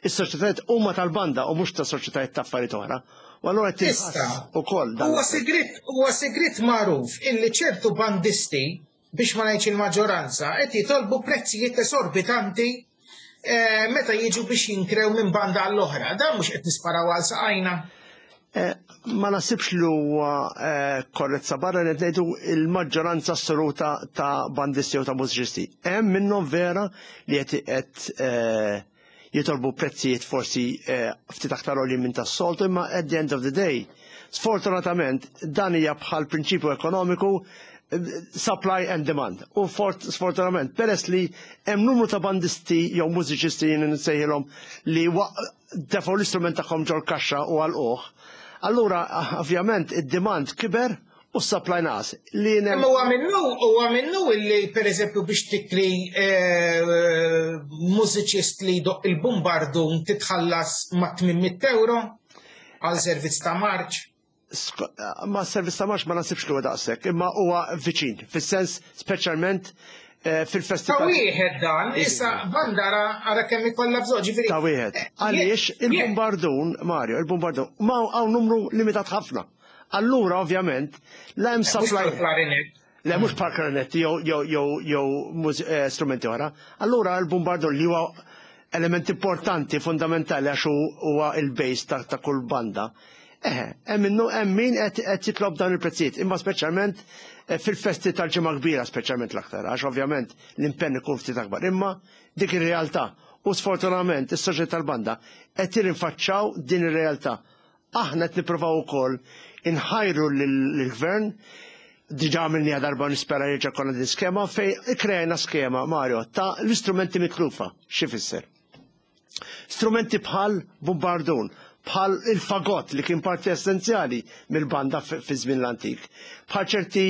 is-soċjetajiet huma tal-banda u mhux ta' soċjetajiet ta' affarijiet oħra. U allura qed tinħass ukoll dan. Huwa sigriet huwa sigriet magħruf illi ċertu bandisti biex ma ngħidx il-maġġoranza qed jitolbu prezzijiet esorbitanti eh, meta jiġu biex jinkrew minn banda għall-oħra. Dan mhux qed nisparaw għal saqajna. Ma nasibx li huwa korrezza barra li ngħidu il-maġġoranza assoluta ta' bandisti u ta' mużiċisti. Hemm minnhom vera li qed jitolbu prezzijiet forsi ftit aktar għoljin minn tas-soltu, imma at the end of the day, sfortunatament dan hija bħal prinċipju ekonomiku, supply and demand. U sfortunatament, peress li hemm numru ta' bandisti jew mużiċisti jien nsejħilhom li tefgħu l-istrument tagħhom ġol kaxxa u għalquh, allura ovvjament id-demand kiber u s-supply naqas. Li Imma huwa minnu illi, pereżempju, biex tikri mużiċist li jdoqq il-bumbardun titħallas ma' 800 euro għal servizz ta' marċ. Ma' servizz ta' marċ ma nasibx li huwa daqshekk, imma huwa viċin, fis-sens speċjalment fil-festi. Ta' wieħed dan, issa banda ara kemm ikollha bżonn, ġifieri. Ta' wieħed. Għaliex il-bombardun, Mario, il-bombardun, ma hawn numru limitat ħafna. Allura ovvjament, la hemm Mhux supply. bħal-klarinet. Le, mhux bħal klarinetti jew strumenti oħra. Allura l-bombardun li huwa element importanti, fundamentali, għax huwa il-base ta' kull banda. Eħe, hemm minnu hemm min qed jitlob dawn il-prezzijiet, imma speċjalment fil-festi tal-Ġimgħa Kbira speċjalment l-aktar, għax ovvjament l-impenn ikun ftit akbar. Imma dik ir-realtà u sfortunatament is-soċjetà tal-banda qed jirrinfaċċaw din ir-realtà. Aħna qed nippruvaw ukoll inħajru lill-gvern, diġà għamilniha darba, nispera jerġa' jkollna din skema fej ikkrejna skema, Mario, ta' l-istrumenti mitlufa. X'ifisser? Strumenti bħal bombardun, bħal il-fagot li kien parti essenzjali mill-banda fi żmien l-antik, bħal ċerti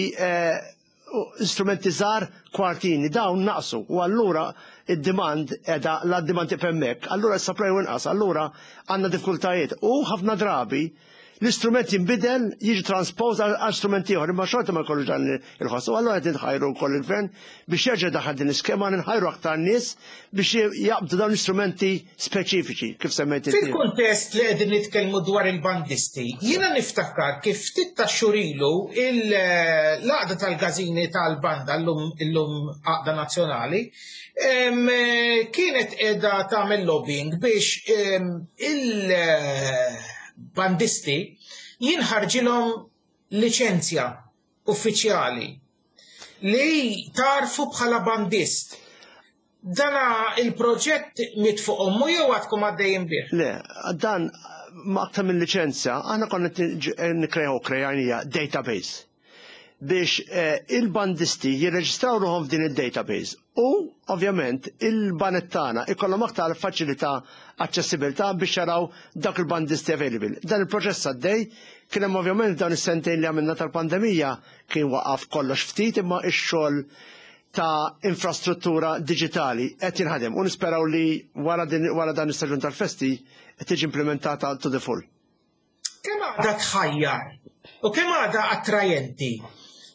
strumenti żgħar, kwartini, dawn naqsu u allura id-demand edha la demand hemmhekk, allura s-supply inqas, allura għandna diffikultajiet u ħafna drabi l-istrument jinbidel, jiġi transpose għal strument ieħor, imma xorta ma jkollux dan il-ħoss. U allura qed inħajru wkoll il-gvern biex jerġa' daħal din l-iskema, nħajru aktar nies biex jaqbdu dawn l-istrumenti speċifiċi kif semmejt inti. Fil-kuntest li qegħdin nitkellmu dwar il-bandisti, jiena niftakar kif ftit ta' xhur ilu l-għaqda tal-każini tal-banda, illum għaqda nazzjonali, kienet qiegħda tagħmel lobbying biex il-bandisti jinħarġilhom liċenzja uffiċjali li tagħrfu bħala bandist. Dana il-proġett miet fuq ommu jew għadkom għaddejjin bih? Le, dan ma aktar minn liċenzja, aħna konna nikrejaw, krejajnija database biex il-bandisti jirreġistraw ruħhom f'din il-database u ovvjament il-baned tagħna ikollhom aktar faċilità, aċċessibilità biex jaraw dak il-bandisti available. Dan il-proċess għaddej, kien hemm ovvjament dawn is-sentejn li għamilna tal-pandemija kien waqaf kollox ftit, imma x-xogħol ta' infrastruttura digitali qed jinħadem u nisperaw li wara dan is-staġun tal-festi qed tiġi implementata to the full. Kemm għadha tħajjar u kemm għadha attrajenti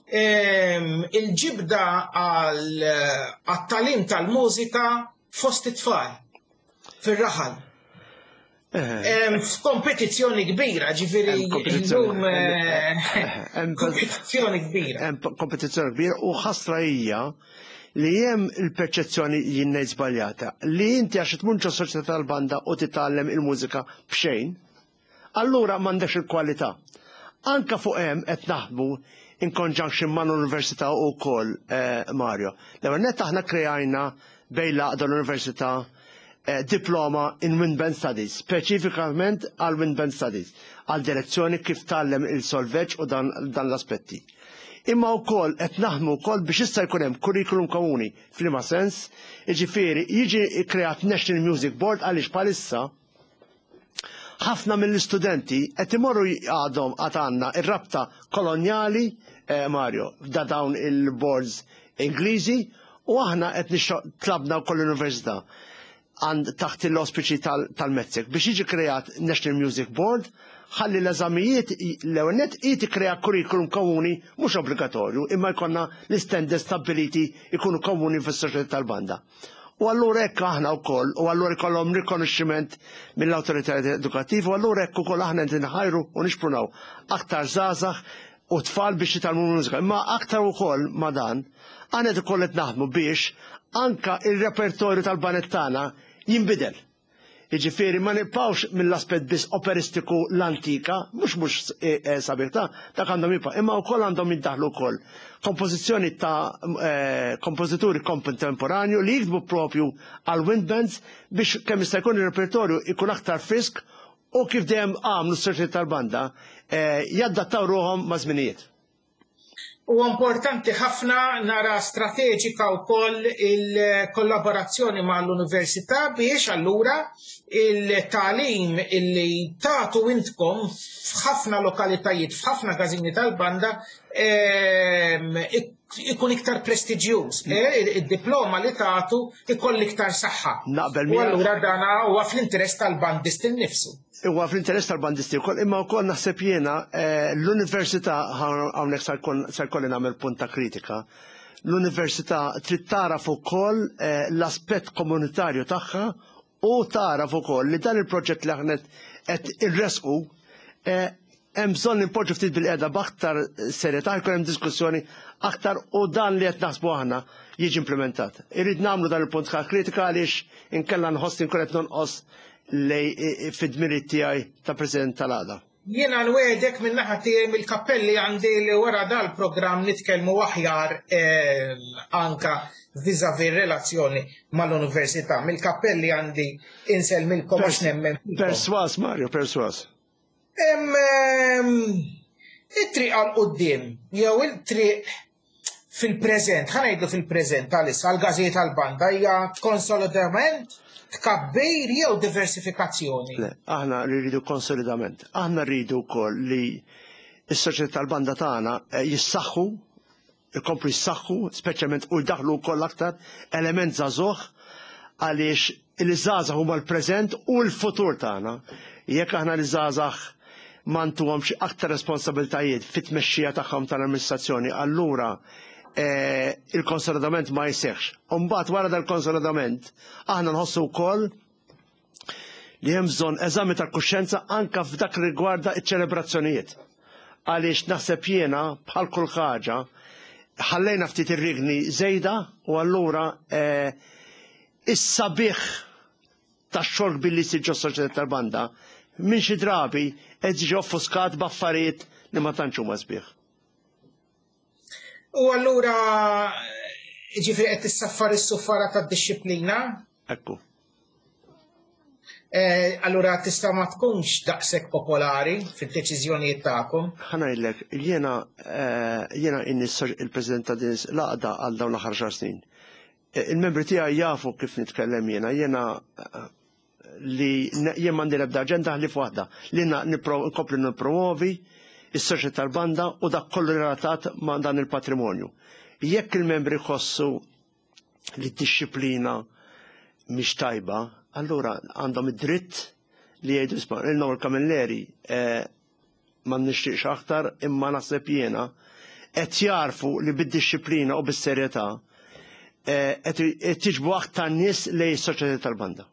il-ġibda għat-tagħlim tal-mużika fost it-tfal fir-raħal? F'kompetizzjoni kbira, ġifieri Hemm kompetizzjoni. illum kompetizzjoni kbira. Hemm kompetizzjoni kbira u ħasra hija li hemm il-perċezzjoni, jien ngħid żbaljata, li inti għax tmur ġo soċjetà tal-banda u titgħallem il-mużika b'xejn, allura m'għandekx il-kwalità. Anka fuq hemm qed naħdmu in conjunction ma' l-università wkoll, Mario. L-ewwel nett aħna krejajna bejn l-għaqda l-università diploma in Wind Band Studies, speċifikament għal Wind Band Studies, għal direzzjoni kif tgħallem il-solfeġġ u dan l-aspetti. Imma wkoll qed naħdmu wkoll biex issa jkun hemm curriculum komuni, f'liema sens, jiġifieri jiġi kreat National Music Board, għaliex bħalissa ħafna mill-istudenti qed imorru għadhom għad għandna ir-rabta kolonjali, Mario, da dawn il-boards Ingliżi, u aħna qed tlabna wkoll l-università għand taħt l-auspiċi tal-MITSEC biex jiġi kreat National Music Board ħalli l-eżamijiet, l-ewwel nett jiġi kreat curriculum komuni, mhux obbligatorju, imma jkollna l-standards stabiliti jkunu komuni fis-soċjetà tal-banda. U allura hekk aħna wkoll, u allura jkollhom rikonoxximent mill-awtoritajiet edukattivi, u allura hekk ukoll aħna qed inħajru u nixprunaw aktar żgħażagħ u tfal biex jitgħallmu mużika. Imma aktar ukoll ma' dan, aħna qed ukoll qed naħdmu biex anka il-repertorju tal-baned tagħna jinbidel. Jiġifieri ma nibqgħux mill-aspett biss operistiku l-antika, mhux mhux eh, eh, sabiħ ta' dak għandhom jibqa' imma wkoll għandhom jiddaħlu wkoll kompożizzjoni ta' eh, kompożituri kontemporanju li jiktbu propju għal wind bands biex kemm jista' jkun ir-repertorju ikun aktar frisk u kif dejjem għamlu s-soċjetà tal-banda jaddattaw ruħhom ma' żminijiet. Huwa importanti ħafna nara strateġika wkoll il-kollaborazzjoni mal-università biex allura il-tagħlim illi tagħtu intkom f'ħafna lokalitajiet, f'ħafna każini tal-banda ehm, ikun iktar prestiġjuż. Eh, id-diploma li tagħtu ikoll iktar saħħa. Naqbel U allura dana huwa fl-interess tal-bandist innifsu. Huwa fl-interess tal-bandisti wkoll, imma wkoll naħseb jiena eh, l-università hawnhekk se jkolli nagħmel punt ta' kritika. L-università trid tagħraf ukoll eh, l-aspett komunitarju tagħha u tagħraf ukoll li dan il-proġett li aħna qed irresqu eh, hemm bżonn nimpoġġu ftit bil-qiegħda b'aktar serjetà jkun hemm diskussjoni aktar u dan li qed naħsbu aħna jiġi implementat. Irrid nagħmlu dan il-punt ta' kritika għaliex inkella nħoss li nkun qed nonqos lej fid-dmirijiet tiegħi ta' President tal-għaqda. Jiena nwegħdek minn naħa tiegħi mill-kappelli għandi li wara dal-programm nitkellmu aħjar eh, anka vis-a-vis relazzjoni mal-università. Mill-kappelli għandi insellmilkom għax nemmen. Perswas, Mario, perswas. It-triq għal quddiem jew il-triq fil-preżent, ħa ngħidlu fil-preżent għalissa għall-gażijiet għall-banda hija konsolidament, tkabbir jew diversifikazzjoni? Le, aħna rridu konsolidament. Aħna rridu wkoll li s-soċjetà tal-banda tagħna eh, jissaħħu, ikomplu jissaħħu, speċjalment u jdaħlu wkoll aktar element żagħżugħ għaliex il-żgħażagħ huma l-preżent u l-futur tagħna. Jekk aħna l-żgħażagħ ma ntuhomx aktar responsabiltajiet fit-tmexxija tagħhom tal-amministrazzjoni, allura eh, il-konsolidament ma jseħħx. Umbagħad wara dal-konsolidament aħna nħossu wkoll li hemm bżonn eżami tal-kuxjenza anka f'dak li rigwarda ċ-ċelebrazzjonijiet. Għaliex naħseb jiena bħal kull ħaġa ħallejna ftit ir-rigni żejda u allura eh, is-sabiħ tax-xogħol kbir li jsir ġos-soċjetà tal-banda minn xi drabi qed jiġi offuskat b'affarijiet li ma tantx huma sbieħ. U allura ġifieri qed tissaffar is-suffara tad-dixxiplina? Ekku. Eh, allura tista' ma tkunx daqshekk popolari fid-deċiżjonijiet tagħkom. Ħa ngħidlek, jiena eh, jiena inni il-President ta' din l-għaqda għal dawn l-aħħar xar snin. Eh, il-membri tiegħi jafu kif nitkellem jiena, jiena li jien m'għandi l-ebda aġenda ħlief waħda li nkompli nippromovi is-soċjetà tal-banda u dak kollu relatat ma' dan il-patrimonju. Jekk il-membri jħossu li d-dixxiplina mhix tajba, allura għandhom id-dritt li jgħidu isma' il-Noel Camilleri eh, ma nixtieqx aktar imma naħseb jiena qed jarfu li bid-dixxiplina u bis-serjetà eh, qed jiġbu aktar nies lejn is-soċjetà tal-banda.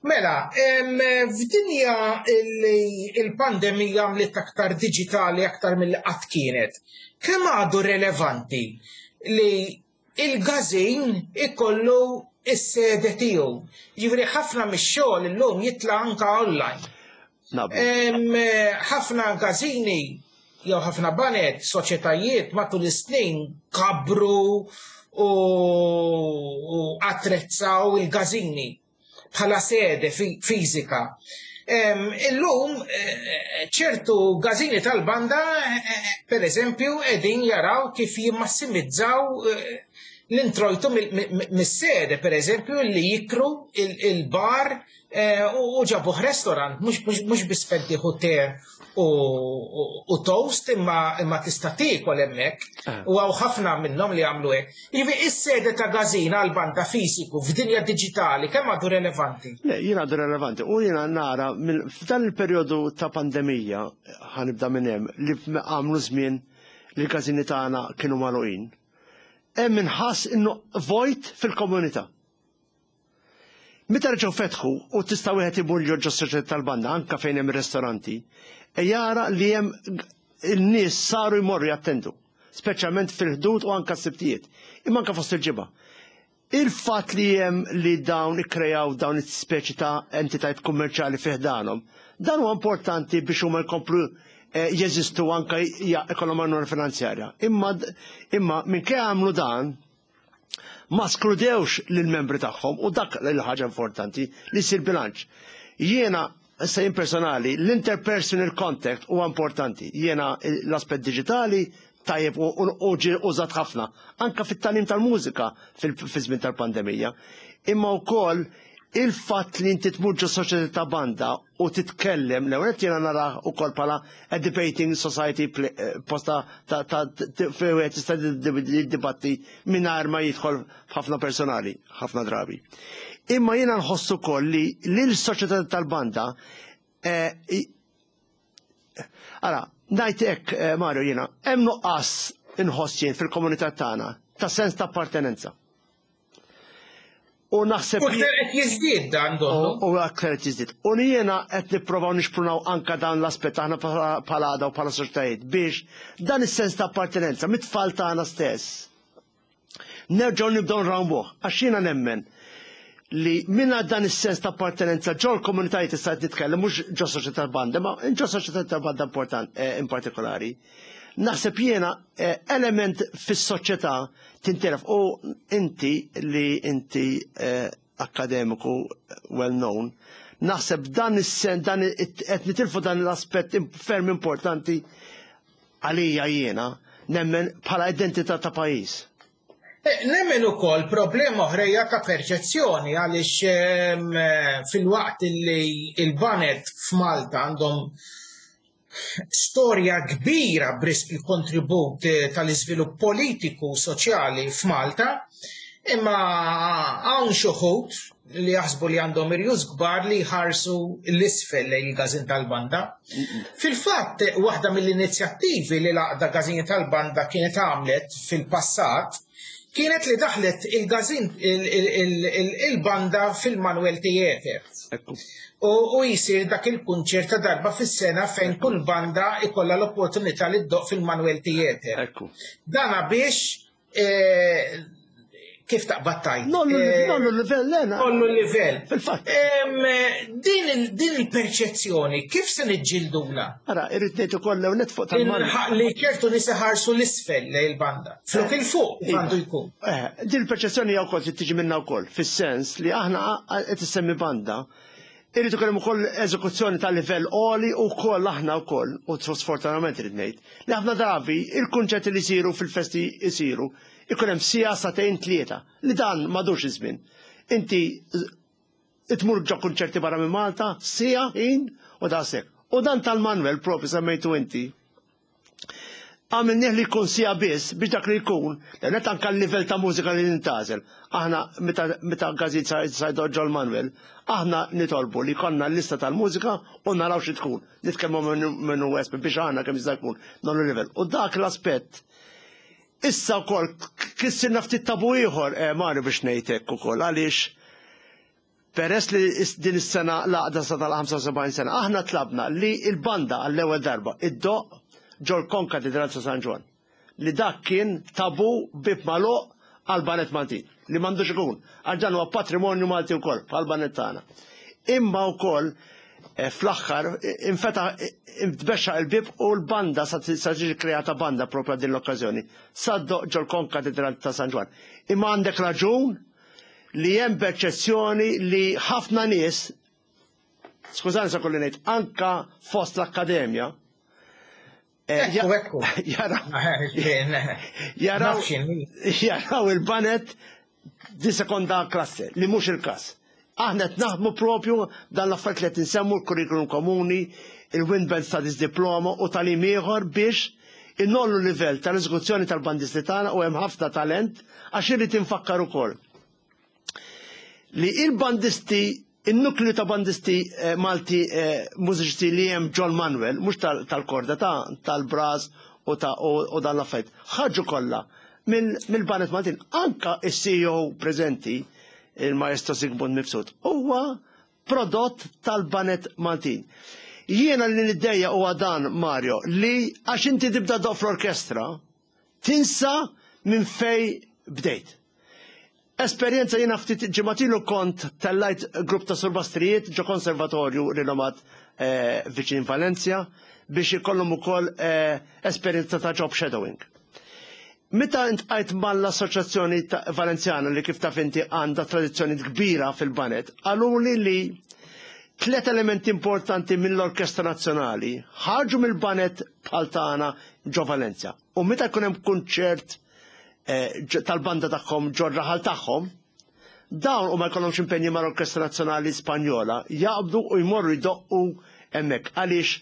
Mela, f'dinja li l-pandemija għamlet aktar diġitali aktar milli qatt kienet, kemm għadu relevanti li il-gazin ikollu is-sede tiegħu? Jiġifieri ħafna mix-xogħol illum jitla' anka online. Ħafna gazini jew ħafna baned, soċjetajiet matul is-snin kabru u attrezzaw il-gazini bħala sede fiżika. Illum eh, ċertu gazini tal-banda, eh, per eżempju, edin jaraw kif jimmassimizzaw eh, l-introjtu mis-sede, per eżempju, li jikru il-bar u ġabuh restaurant, mhux biss fejn tieħu te u toast imma tista' tiekol hemmhekk. Ah. U hawn ħafna minnhom li jagħmlu hekk. Jiġifieri is-sede ta' gażina għal banda fiżiku f'dinja diġitali kemm għadu relevanti? Le, jien għadu relevanti u jiena nara f'dan il-perjodu ta' pandemija ħanibda minn hemm li għamlu żmien li l-każini tagħna kienu magħluqin. Hemm inħass innu vojt fil-komunità. Meta reġgħu fetħu u tista' wieħed imur ġo soċjetà tal-banda anke fejn hemm ir-ristoranti, e jara li hemm in-nies saru jmorru jattendu, speċjalment fil-ħdud u anke s-sibtijiet, imma anke fost il-ġimgħa. Il-fatt li hemm li dawn ikkrejaw dawn is-speċi ta' entitajiet kummerċjali fi ħdanhom, dan huwa importanti biex huma jkomplu eh, jeżistu anke ikollhom għajnuna finanzjarja. Imma imma minkejja għamlu dan, ma skludewx lill-membri tagħhom u dak l-ħaġa importanti li jsir bilanċ. Jiena issa jien personali, l-interpersonal contact huwa importanti. Jiena l-aspett diġitali tajjeb u ġie użat ħafna, anka fit-tagħlim tal-mużika fi żmien tal-pandemija. Imma wkoll il-fatt li inti tmur ġo soċjetà ta' banda u titkellem, l-ewwel jiena narah ukoll bħala a debating society eh, posta ta' fejn wieħed jista' jiddibatti mingħajr ma jidħol f'ħafna personali, ħafna drabi. Imma jiena nħossu ukoll li l-soċjetà tal-banda eh, Ara, ngħid hekk, eh, Mario, jiena, hemm nuqqas inħoss jien fil-komunità tagħna ta' sens ta' appartenenza. U naħseb U aktar qed jiżdied dan donnu. U aktar qed jiżdied. U jiena qed nipprovaw nixprunaw anka dan l-aspett aħna bħala għaqda u bħala soċjetajiet biex dan is-sens ta' appartenenza mit-tfal tagħna stess. Nerġgħu nibdew nrawmuh għax jiena nemmen li minna dan is-sens ta' appartenenza ġol komunitajiet issa qed nitkellem mhux ġo soċjetà banda, ma ġo soċjetà ta' banda important eh, in partikolari. Naħseb jiena eh, element fis-soċjetà tintilef u inti li inti eh, akademiku well known, naħseb dan is-sen dan qed nitilfu dan l-aspett ferm importanti għalija jiena nemmen bħala identità ta' pajjiż. Nemmen ukoll problema oħra hija ta' perċezzjoni għaliex filwaqt li il-baned f'Malta għandhom storja kbira b'risq il-kontribut tal-iżvilupp politiku u soċjali f'Malta, imma hawn xi wħud li jaħsbu li għandhom irjus kbar li jħarsu l-isfel lejn il-każin tal-banda. Fil-fatt, waħda mill-inizjattivi li l-għaqda Każin tal-Banda kienet għamlet fil-passat kienet li daħlet il-każin il-banda fil-Manuel Theatre. U jisir dak il-kunċert ta' darba fis-sena fejn kull banda ikolla l-opportunità li ddoqq fil-Manuel Theatre. Dana biex kif taqbad tgħid. Ngħollu l-livell, Lena. Ngħollu l-livell. Fil-fatt. Din il-perċezzjoni, kif se niġġildula? Ara, irrid ngħid ukoll l net fuq tal-man. Li ċertu nies iħarsu l-isfel lejn il-banda. Flok il-fuq għandu jkun. Din il-perċezzjoni hija wkoll tiġi minna wkoll, fis-sens li aħna qed issemmi banda. Irid ikun hemm ukoll eżekuzzjoni ta' livell għoli u wkoll aħna wkoll, u sfortunatament irid ngħid, li ħafna drabi il-kunċerti li jsiru fil-festi jsiru ikun hemm siegħa sagħtejn tlieta li dan m'għadux iż-żmien. Inti tmur ġo kunċerti barra minn Malta, siegħa ħin u daqshekk. U dan tal-Manuel propju semmejtu inti. Għamilnieh li jkun siegħa biss biex dak li jkun, net anka l-livell ta' mużika li nintgħażel. Aħna meta każin sa jdoqq ġol-Manuel, aħna nitolbu li jkollna l-lista tal-mużika u naraw xi tkun. Nitkellmu minnu esper biex aħna kemm jista' jkun ngħollu livell. U dak l-aspett issa wkoll kissirna ftit tabu ieħor eh, Mario biex ngħid hekk ukoll għaliex peress li din is-sena l-għaqda sa tal-75 sena, aħna tlabna li il-banda għall-ewwel darba iddoqq ġol Konkatedral ta' San Ġwann. Li dak kien tabu bib magħluq għal baned Maltin, li m'għandux ikun, għax dan huwa patrimonju Malti wkoll bħal baned tagħna. Imma wkoll fl-aħħar infetaħ tbexxaq il-bib u l-banda sa tiġi kreata banda propja din l-okkażjoni. Sa ddoqq ġol Konkatedral ta' San Ġwann. Imma għandek raġun li hemm perċezzjoni li ħafna nies, skużani sa kolli ngħid, anka fost l-akkademja, Ekku, ekku. Jaraw il-baned di sekonda klasse, li mhux il-każ. Aħna qed naħdmu propju dan l-affarijiet li qed insemmu l-kurrikulum komuni, il-Wind Band Studies Diploma u tagħlim ieħor biex ingħollu livell tal-eżekuzzjoni tal-bandisti tagħna u hemm ħafna talent għax irrid infakkar ukoll li il-bandisti il-nukleu ta' bandisti Malti mużiċisti li hemm John Manuel, mhux tal-korda ta' tal-brass u ta' u dan l-affarijiet, ħarġu kollha mill-baned Maltin. Anka il-CEO preżenti, il-Maestro Sigmund Mifsud, huwa prodott tal-baned Maltin. Jiena li niddejjaq huwa dan, Mario, li għax inti tibda ddoqq fl-orkestra, tinsa minn fej bdejt. Esperjenza jiena ftit ġimgħat ilu kont tellajt grupp ta' surbastrijiet ġo konservatorju rinomat eh, viċin Valencia biex ikollhom ukoll eh, esperjenza ta' job shadowing. Meta intqajt mal-Assoċjazzjoni Valenzjana li kif taf inti għandha tradizzjoni kbira fil-banet, qaluli li tlet elementi importanti mill-Orkestra Nazzjonali ħarġu mill-banet bħal tagħna ġo Valencia. U meta jkun hemm kunċert eh, tal-banda tagħhom ġo raħal tagħhom, dawn u ma jkollhomx impenji mal-Orkestra Nazzjonali Spanjola, jaqbdu u jmorru jdoqqu hemmhekk għaliex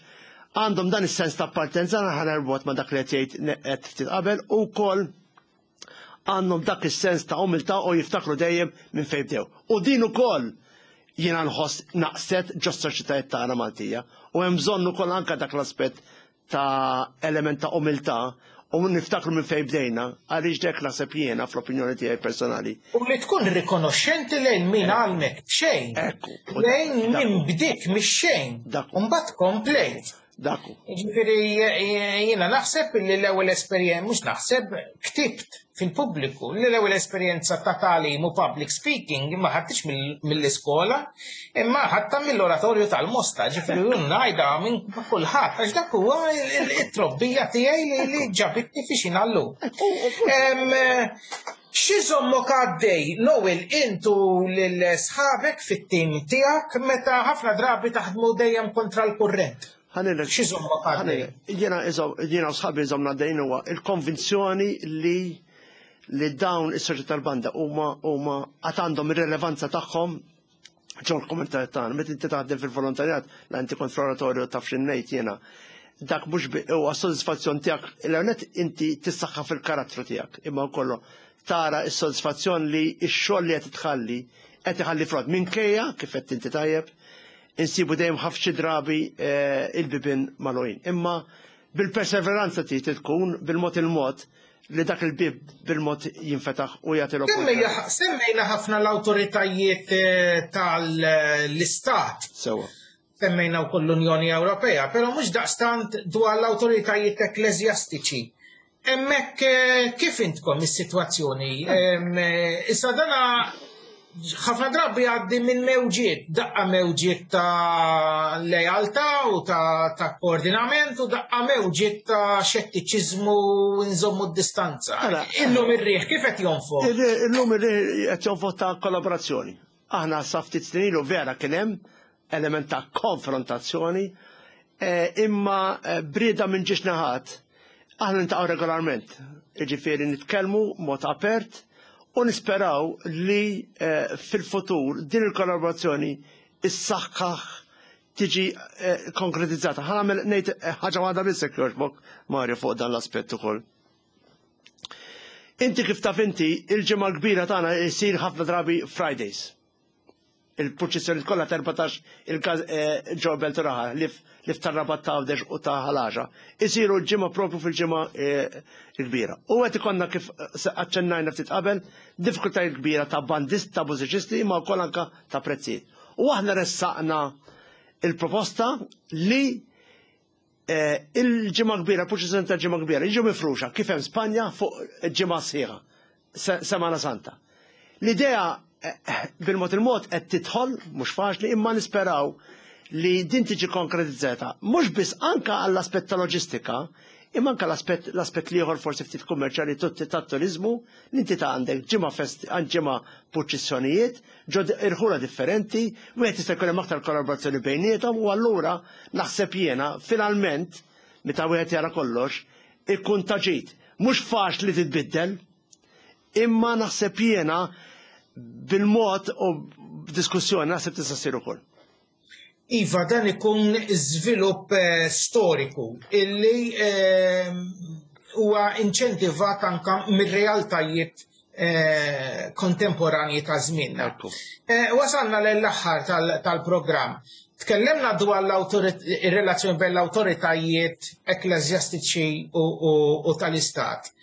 għandhom dan is-sens ta' appartenza ħa nerbot ma' dak li qed jgħid qed ftit qabel u wkoll għandhom dak is-sens ta' umiltà u jiftakru dejjem minn fejn bdew. U din ukoll jiena nħoss naqset ġo soċjetajiet tagħna Maltija u hemm bżonn ukoll anke dak l-aspett ta' element ta' umiltà u niftakru minn fejn bdejna, għaliex dek naħseb jiena fl-opinjoni tiegħi personali. U li tkun rikonoxxenti lejn min għalmek xejn. Ekku. Lejn min bdiek mix-xejn. Dak hu. U mbagħad komplejt. Dak hu. Ġifieri jiena naħseb li l-ewwel esperjenza, mhux naħseb, ktibt fil-pubbliku li l-ewwel esperjenza ta' tagħlim u public speaking ma ħadtix mill-iskola, imma ħadta mill-oratorju tal-Mosta, ġifieri jien ngħidha minn kulħadd għax dak huwa it-trobbija tiegħi li ġabitni fiex jien llum. X'iżommok għaddej, Noel, intu lil sħabek fit-tim tiegħek meta ħafna drabi taħdmu dejjem kontra l-kurrent? Ħa ngħidlek. X'iżommok għaddej? Jiena u sħabi jżommna għaddejn huwa il-konvinzjoni li dawn is-soċjetà tal-banda huma għad għandhom ir-relevanza tagħhom ġol komunità tagħna. Meta inti taħdem fil-volontarjat, la inti kont fl-oratorju taf x'ngħid jiena. Dak mhux huwa sodisfazzjon tiegħek, l-għonet inti tissaħħa fil-karattru tiegħek, imma wkoll tara s-sodisfazzjon li x-xogħol li qed tħalli qed iħalli frott minkejja kif qed inti tajjeb insibu dejjem ħafna drabi il-bibien magħluqin. Imma bil-perseveranza trid tkun bil-mod il-mod li dak il-bib bil-mod jinfetaħ u jagħti l-opportunità. Semmejna ħafna l-awtoritajiet tal-istat. Sewa. Semmejna wkoll l-Unjoni Ewropea, però mhux daqstant dwar l-awtoritajiet ekkleżjastiċi. Hemmhekk kif intkom is-sitwazzjoni? Issa dana ħafna drabi għaddi minn mewġiet, daqqa mewġiet ta' lealtà u ta' koordinament u daqqa mewġiet ta' xettiċiżmu u nżommu d-distanza. Illum ir-riħ kif qed jonfoħ? Illum ir-riħ qed jonfoħ ta' kollaborazzjoni. Aħna sa ftit snin ilu vera kien hemm element ta' konfrontazzjoni, imma brida minn ġiex naħat, aħna niltaqgħu regolarment. Jiġifieri nitkellmu mod apert u nisperaw li fil-futur din il-kollaborazzjoni issaħħaħ tiġi konkretizzata. Ħa nagħmel ngħid ħaġa waħda biss jekk jogħġbok, Mario, fuq dan l-aspett ukoll. Inti kif taf inti, il-ġimgħa kbira tagħna jsir ħafna drabi Fridays. Il-purċissjoni kollha 14 il-każ ġo Belt Raħa li f'tar-Rabat ta' Għawdex u ta' Ħal Għaxaq. Isiru l-ġimgħa propju fil-ġimgħa kbira. U qed ikollna kif aċċennajna ftit qabel diffikultajiet kbira ta' bandist, ta' mużiċisti, imma wkoll anka ta' prezzijiet. U aħna ressaqna il-proposta li il-ġimgħa kbira, purċissjoni tal-ġimgħa kbira, jiġu mifruxa kif hemm Spanja fuq ġimgħa sħiħa, Semana Santa. L-idea bil-mod il-mod qed tidħol, mhux faċli, imma nisperaw li din tiġi konkretizzata, mhux biss anka għall-aspett ta' loġistika, imma anka l-aspett l-ieħor forsi ftit kummerċjali tat-turizmu, li inti ta' għandek ġimgħa fest, ġimgħa purċissjonijiet, ġo irħula differenti, wieħed jista' jkun hemm aktar kollaborazzjoni bejniethom u allura naħseb jiena finalment meta wieħed jara kollox ikun ta' ġid. Mhux faċli titbiddel, imma naħseb jiena bil-mod u b'diskussjoni naħseb tista' ssir ukoll. Iva, dan ikun żvilupp storiku illi huwa inċentivat anka mir-realtajiet kontemporanji ta' żmienna. Wasalna l-aħħar tal-programm. Tkellimna dwar ir-relazzjoni bejn l-awtoritajiet ekkleżjastiċi u tal-Istat.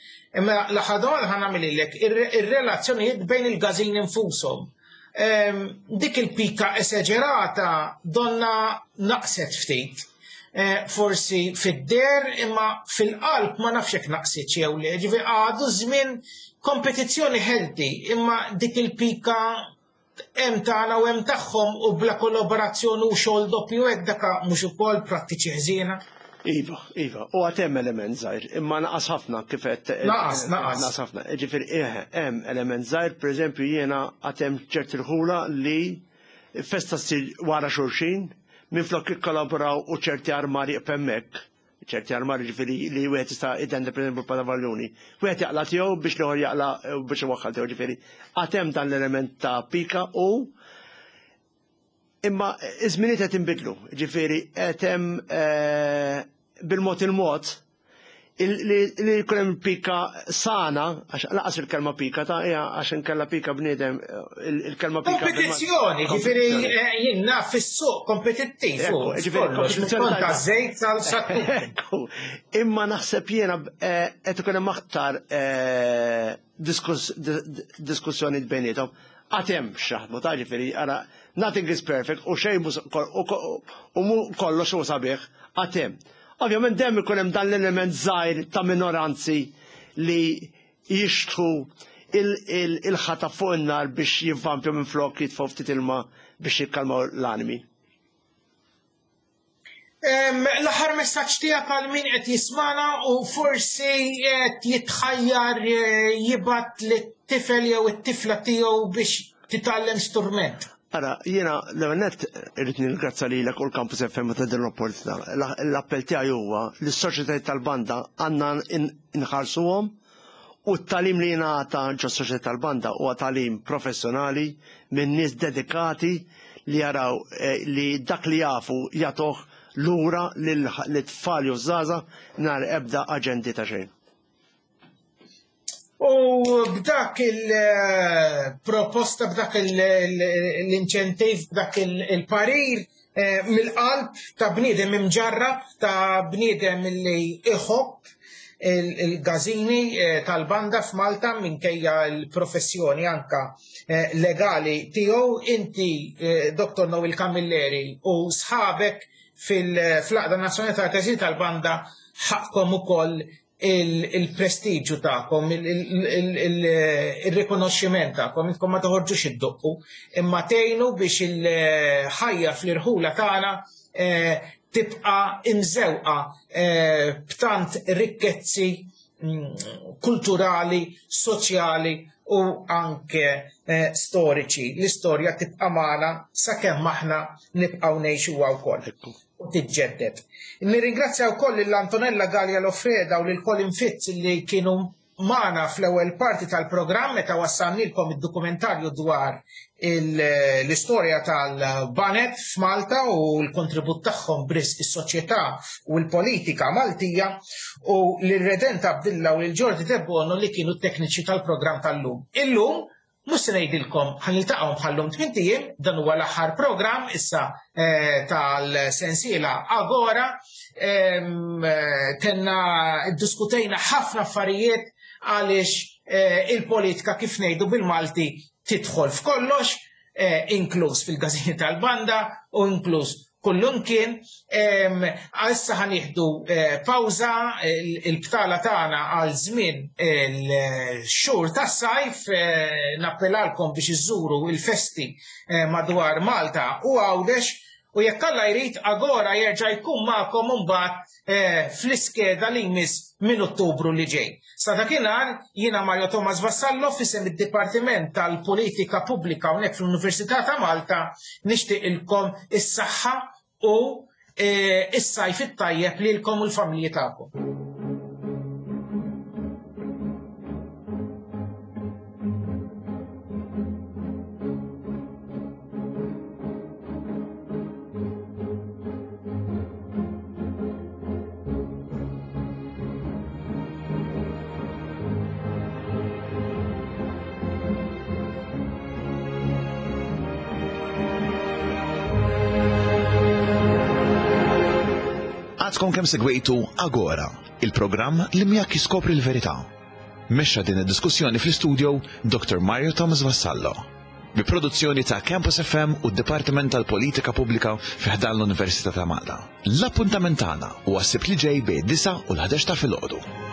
Imma l-aħħar domanda ħa nagħmililek ir-relazzjonijiet bejn il-każin infushom. Dik il-pika esagerata donna naqset ftit. eh, forsi fid-der imma fil-qalb ma nafx hekk naqsitx jew le, ġifieri għadu żmien kompetizzjoni healthy imma dik il-pika hemm tagħna u hemm tagħhom u bla kollaborazzjoni u xogħol doppju hekk daka mhux ukoll prattiċi ħżiena. Iva, iva, u għad hemm element żgħir, imma naqas ħafna kif qed. Naqas, naqas. Naqas ħafna. Ġifieri eh, hemm element żgħir, pereżempju jiena għad hemm ċerti rħula li festa ssir wara xulxin, minflok jikkollaboraw u ċerti armari hemmhekk ċerti armari ġifieri li wieħed jista' jidende pereżempju bħala valjuni. Wieħed jaqla' tiegħu biex l-ieħor jaqla' biex iwaħħal tiegħu ġifieri. Għad hemm dan l-element ta' pika u imma iż-żminijiet qed inbidlu, ġifieri qed hemm eh, bil-mod il-mod li jkun hemm pika sana, għax laqas il-kelma pika ta' hija għax inkella pika bniedem il-kelma pika. Kompetizzjoni, ġifieri eh, jien naf fis-suq kompetittiv. Ġifieri kompetizzjoni ta' żejt sal sattu. Imma naħseb jiena eh, qed ikun hemm aktar eh, diskussjoni bejniethom. Għad hemm x'jaħdmu ta' ġifieri ara nothing is perfect u xejn u kollox hu sabiħ għad hemm. Ovvjament dejjem ikun hemm dan l-element żgħir ta' minoranzi li jixtħu il-ħatab fuq in-nar biex jivvampju minflok jitfgħu ftit ilma biex jikkalmaw l-animi. L-aħħar messaġġ tiegħek għal min qed jismana u forsi qed jitħajjar eh, jibgħat lit-tifel jew it-tifla tiegħu biex titgħallem sturment. Ara, jiena l-ewwel nett irrid nirringrazzja lilek u l-Campus FM ta' din l-opportunità. L-appell tiegħi huwa li s-soċjetajiet tal-banda għandna nħarsuhom u t-tagħlim li jingħata ġo soċjetà tal-banda huwa tagħlim professjonali minn nies dedikati li jaraw eh, li dak li jafu jagħtuh lura lit-tfal jew żgħażagħ mingħajr ebda aġendi ta' xejn. U b'dak il-proposta, b'dak l-inċentiv, b'dak il-parir, eh, mill-qalb ta' bniedem imġarrab, ta' bniedem li iħobb il-gazini eh, tal-banda f'Malta minkejja l-professjoni anka eh, legali tiegħu inti Dr. Noel Camilleri u sħabek fil-Għaqda Nazzjonali tal-Każini tal-Banda ħaqkom ukoll il-prestiġu tagħkom, il-rikonoxximent tagħkom, intkom ma toħorġux id-doqqu, imma tgħinu biex il-ħajja fl-irħula tagħna eh, tibqa' imżewqa eh, b'tant rikkezzi mm, kulturali, soċjali u anke eh, storiċi. L-istorja tibqa' magħna sakemm aħna nibqgħu ngħixuha wkoll. U tiġġedded. Nirringrazzja wkoll lil Antonella Galea Loffreda u lil Colin Fitz li kienu magħna fl-ewwel parti tal-programm meta wassalnilkom id-dokumentarju dwar l-istorja tal-banet f'Malta u l-kontribut tagħhom b'risq is-soċjetà u l-politika Maltija u lil Redent Abdilla u lil Jordi Debono li kienu t-tekniċi tal-programm tal-lum. Illum Mhux se ngħidilkom ħa niltaqgħu bħal-lum tmint ijiem, dan huwa l-aħħar programm issa eh, tal-sensiela Agora. Eh, tenna ddiskutejna ħafna affarijiet għaliex eh, il-politika kif ngħidu bil-Malti tidħol f'kollox, inkluż fil-każini tal-banda u inkluż kullumkien. Issa ħa nieħdu eh, pawża il-btala tagħna għal żmien il-xhur tas-sajf eh, nappelalkom biex iżżuru il-festi eh, madwar Malta u Għawdex u jekk Alla jrid Agora jerġa' jkun magħkom imbagħad fl-iskeda li jmiss minn Ottubru li ġej. Sa dakinhar jiena Mario Thomas Vassallo f'isem id-Dipartiment tal-Politika Pubblika hawnhekk fl-Università ta' Malta nixtieqilkom is-saħħa u s-sajf it-tajjeb lilkom u l-familji tagħkom. Għadkom kemm segwejtu Agora, il-programm li miegħek jiskopri l-verità. Mexxa din id-diskussjoni fl-istudio Dr. Mario Thomas Vassallo. Bi produzzjoni ta' Campus FM u d-Dipartiment tal-Politika Pubblika fi ħdan l-Università ta' Malta. L-appuntament tagħna huwa s-Sibt li ġej bejn 9 u l-11 ta' filgħodu.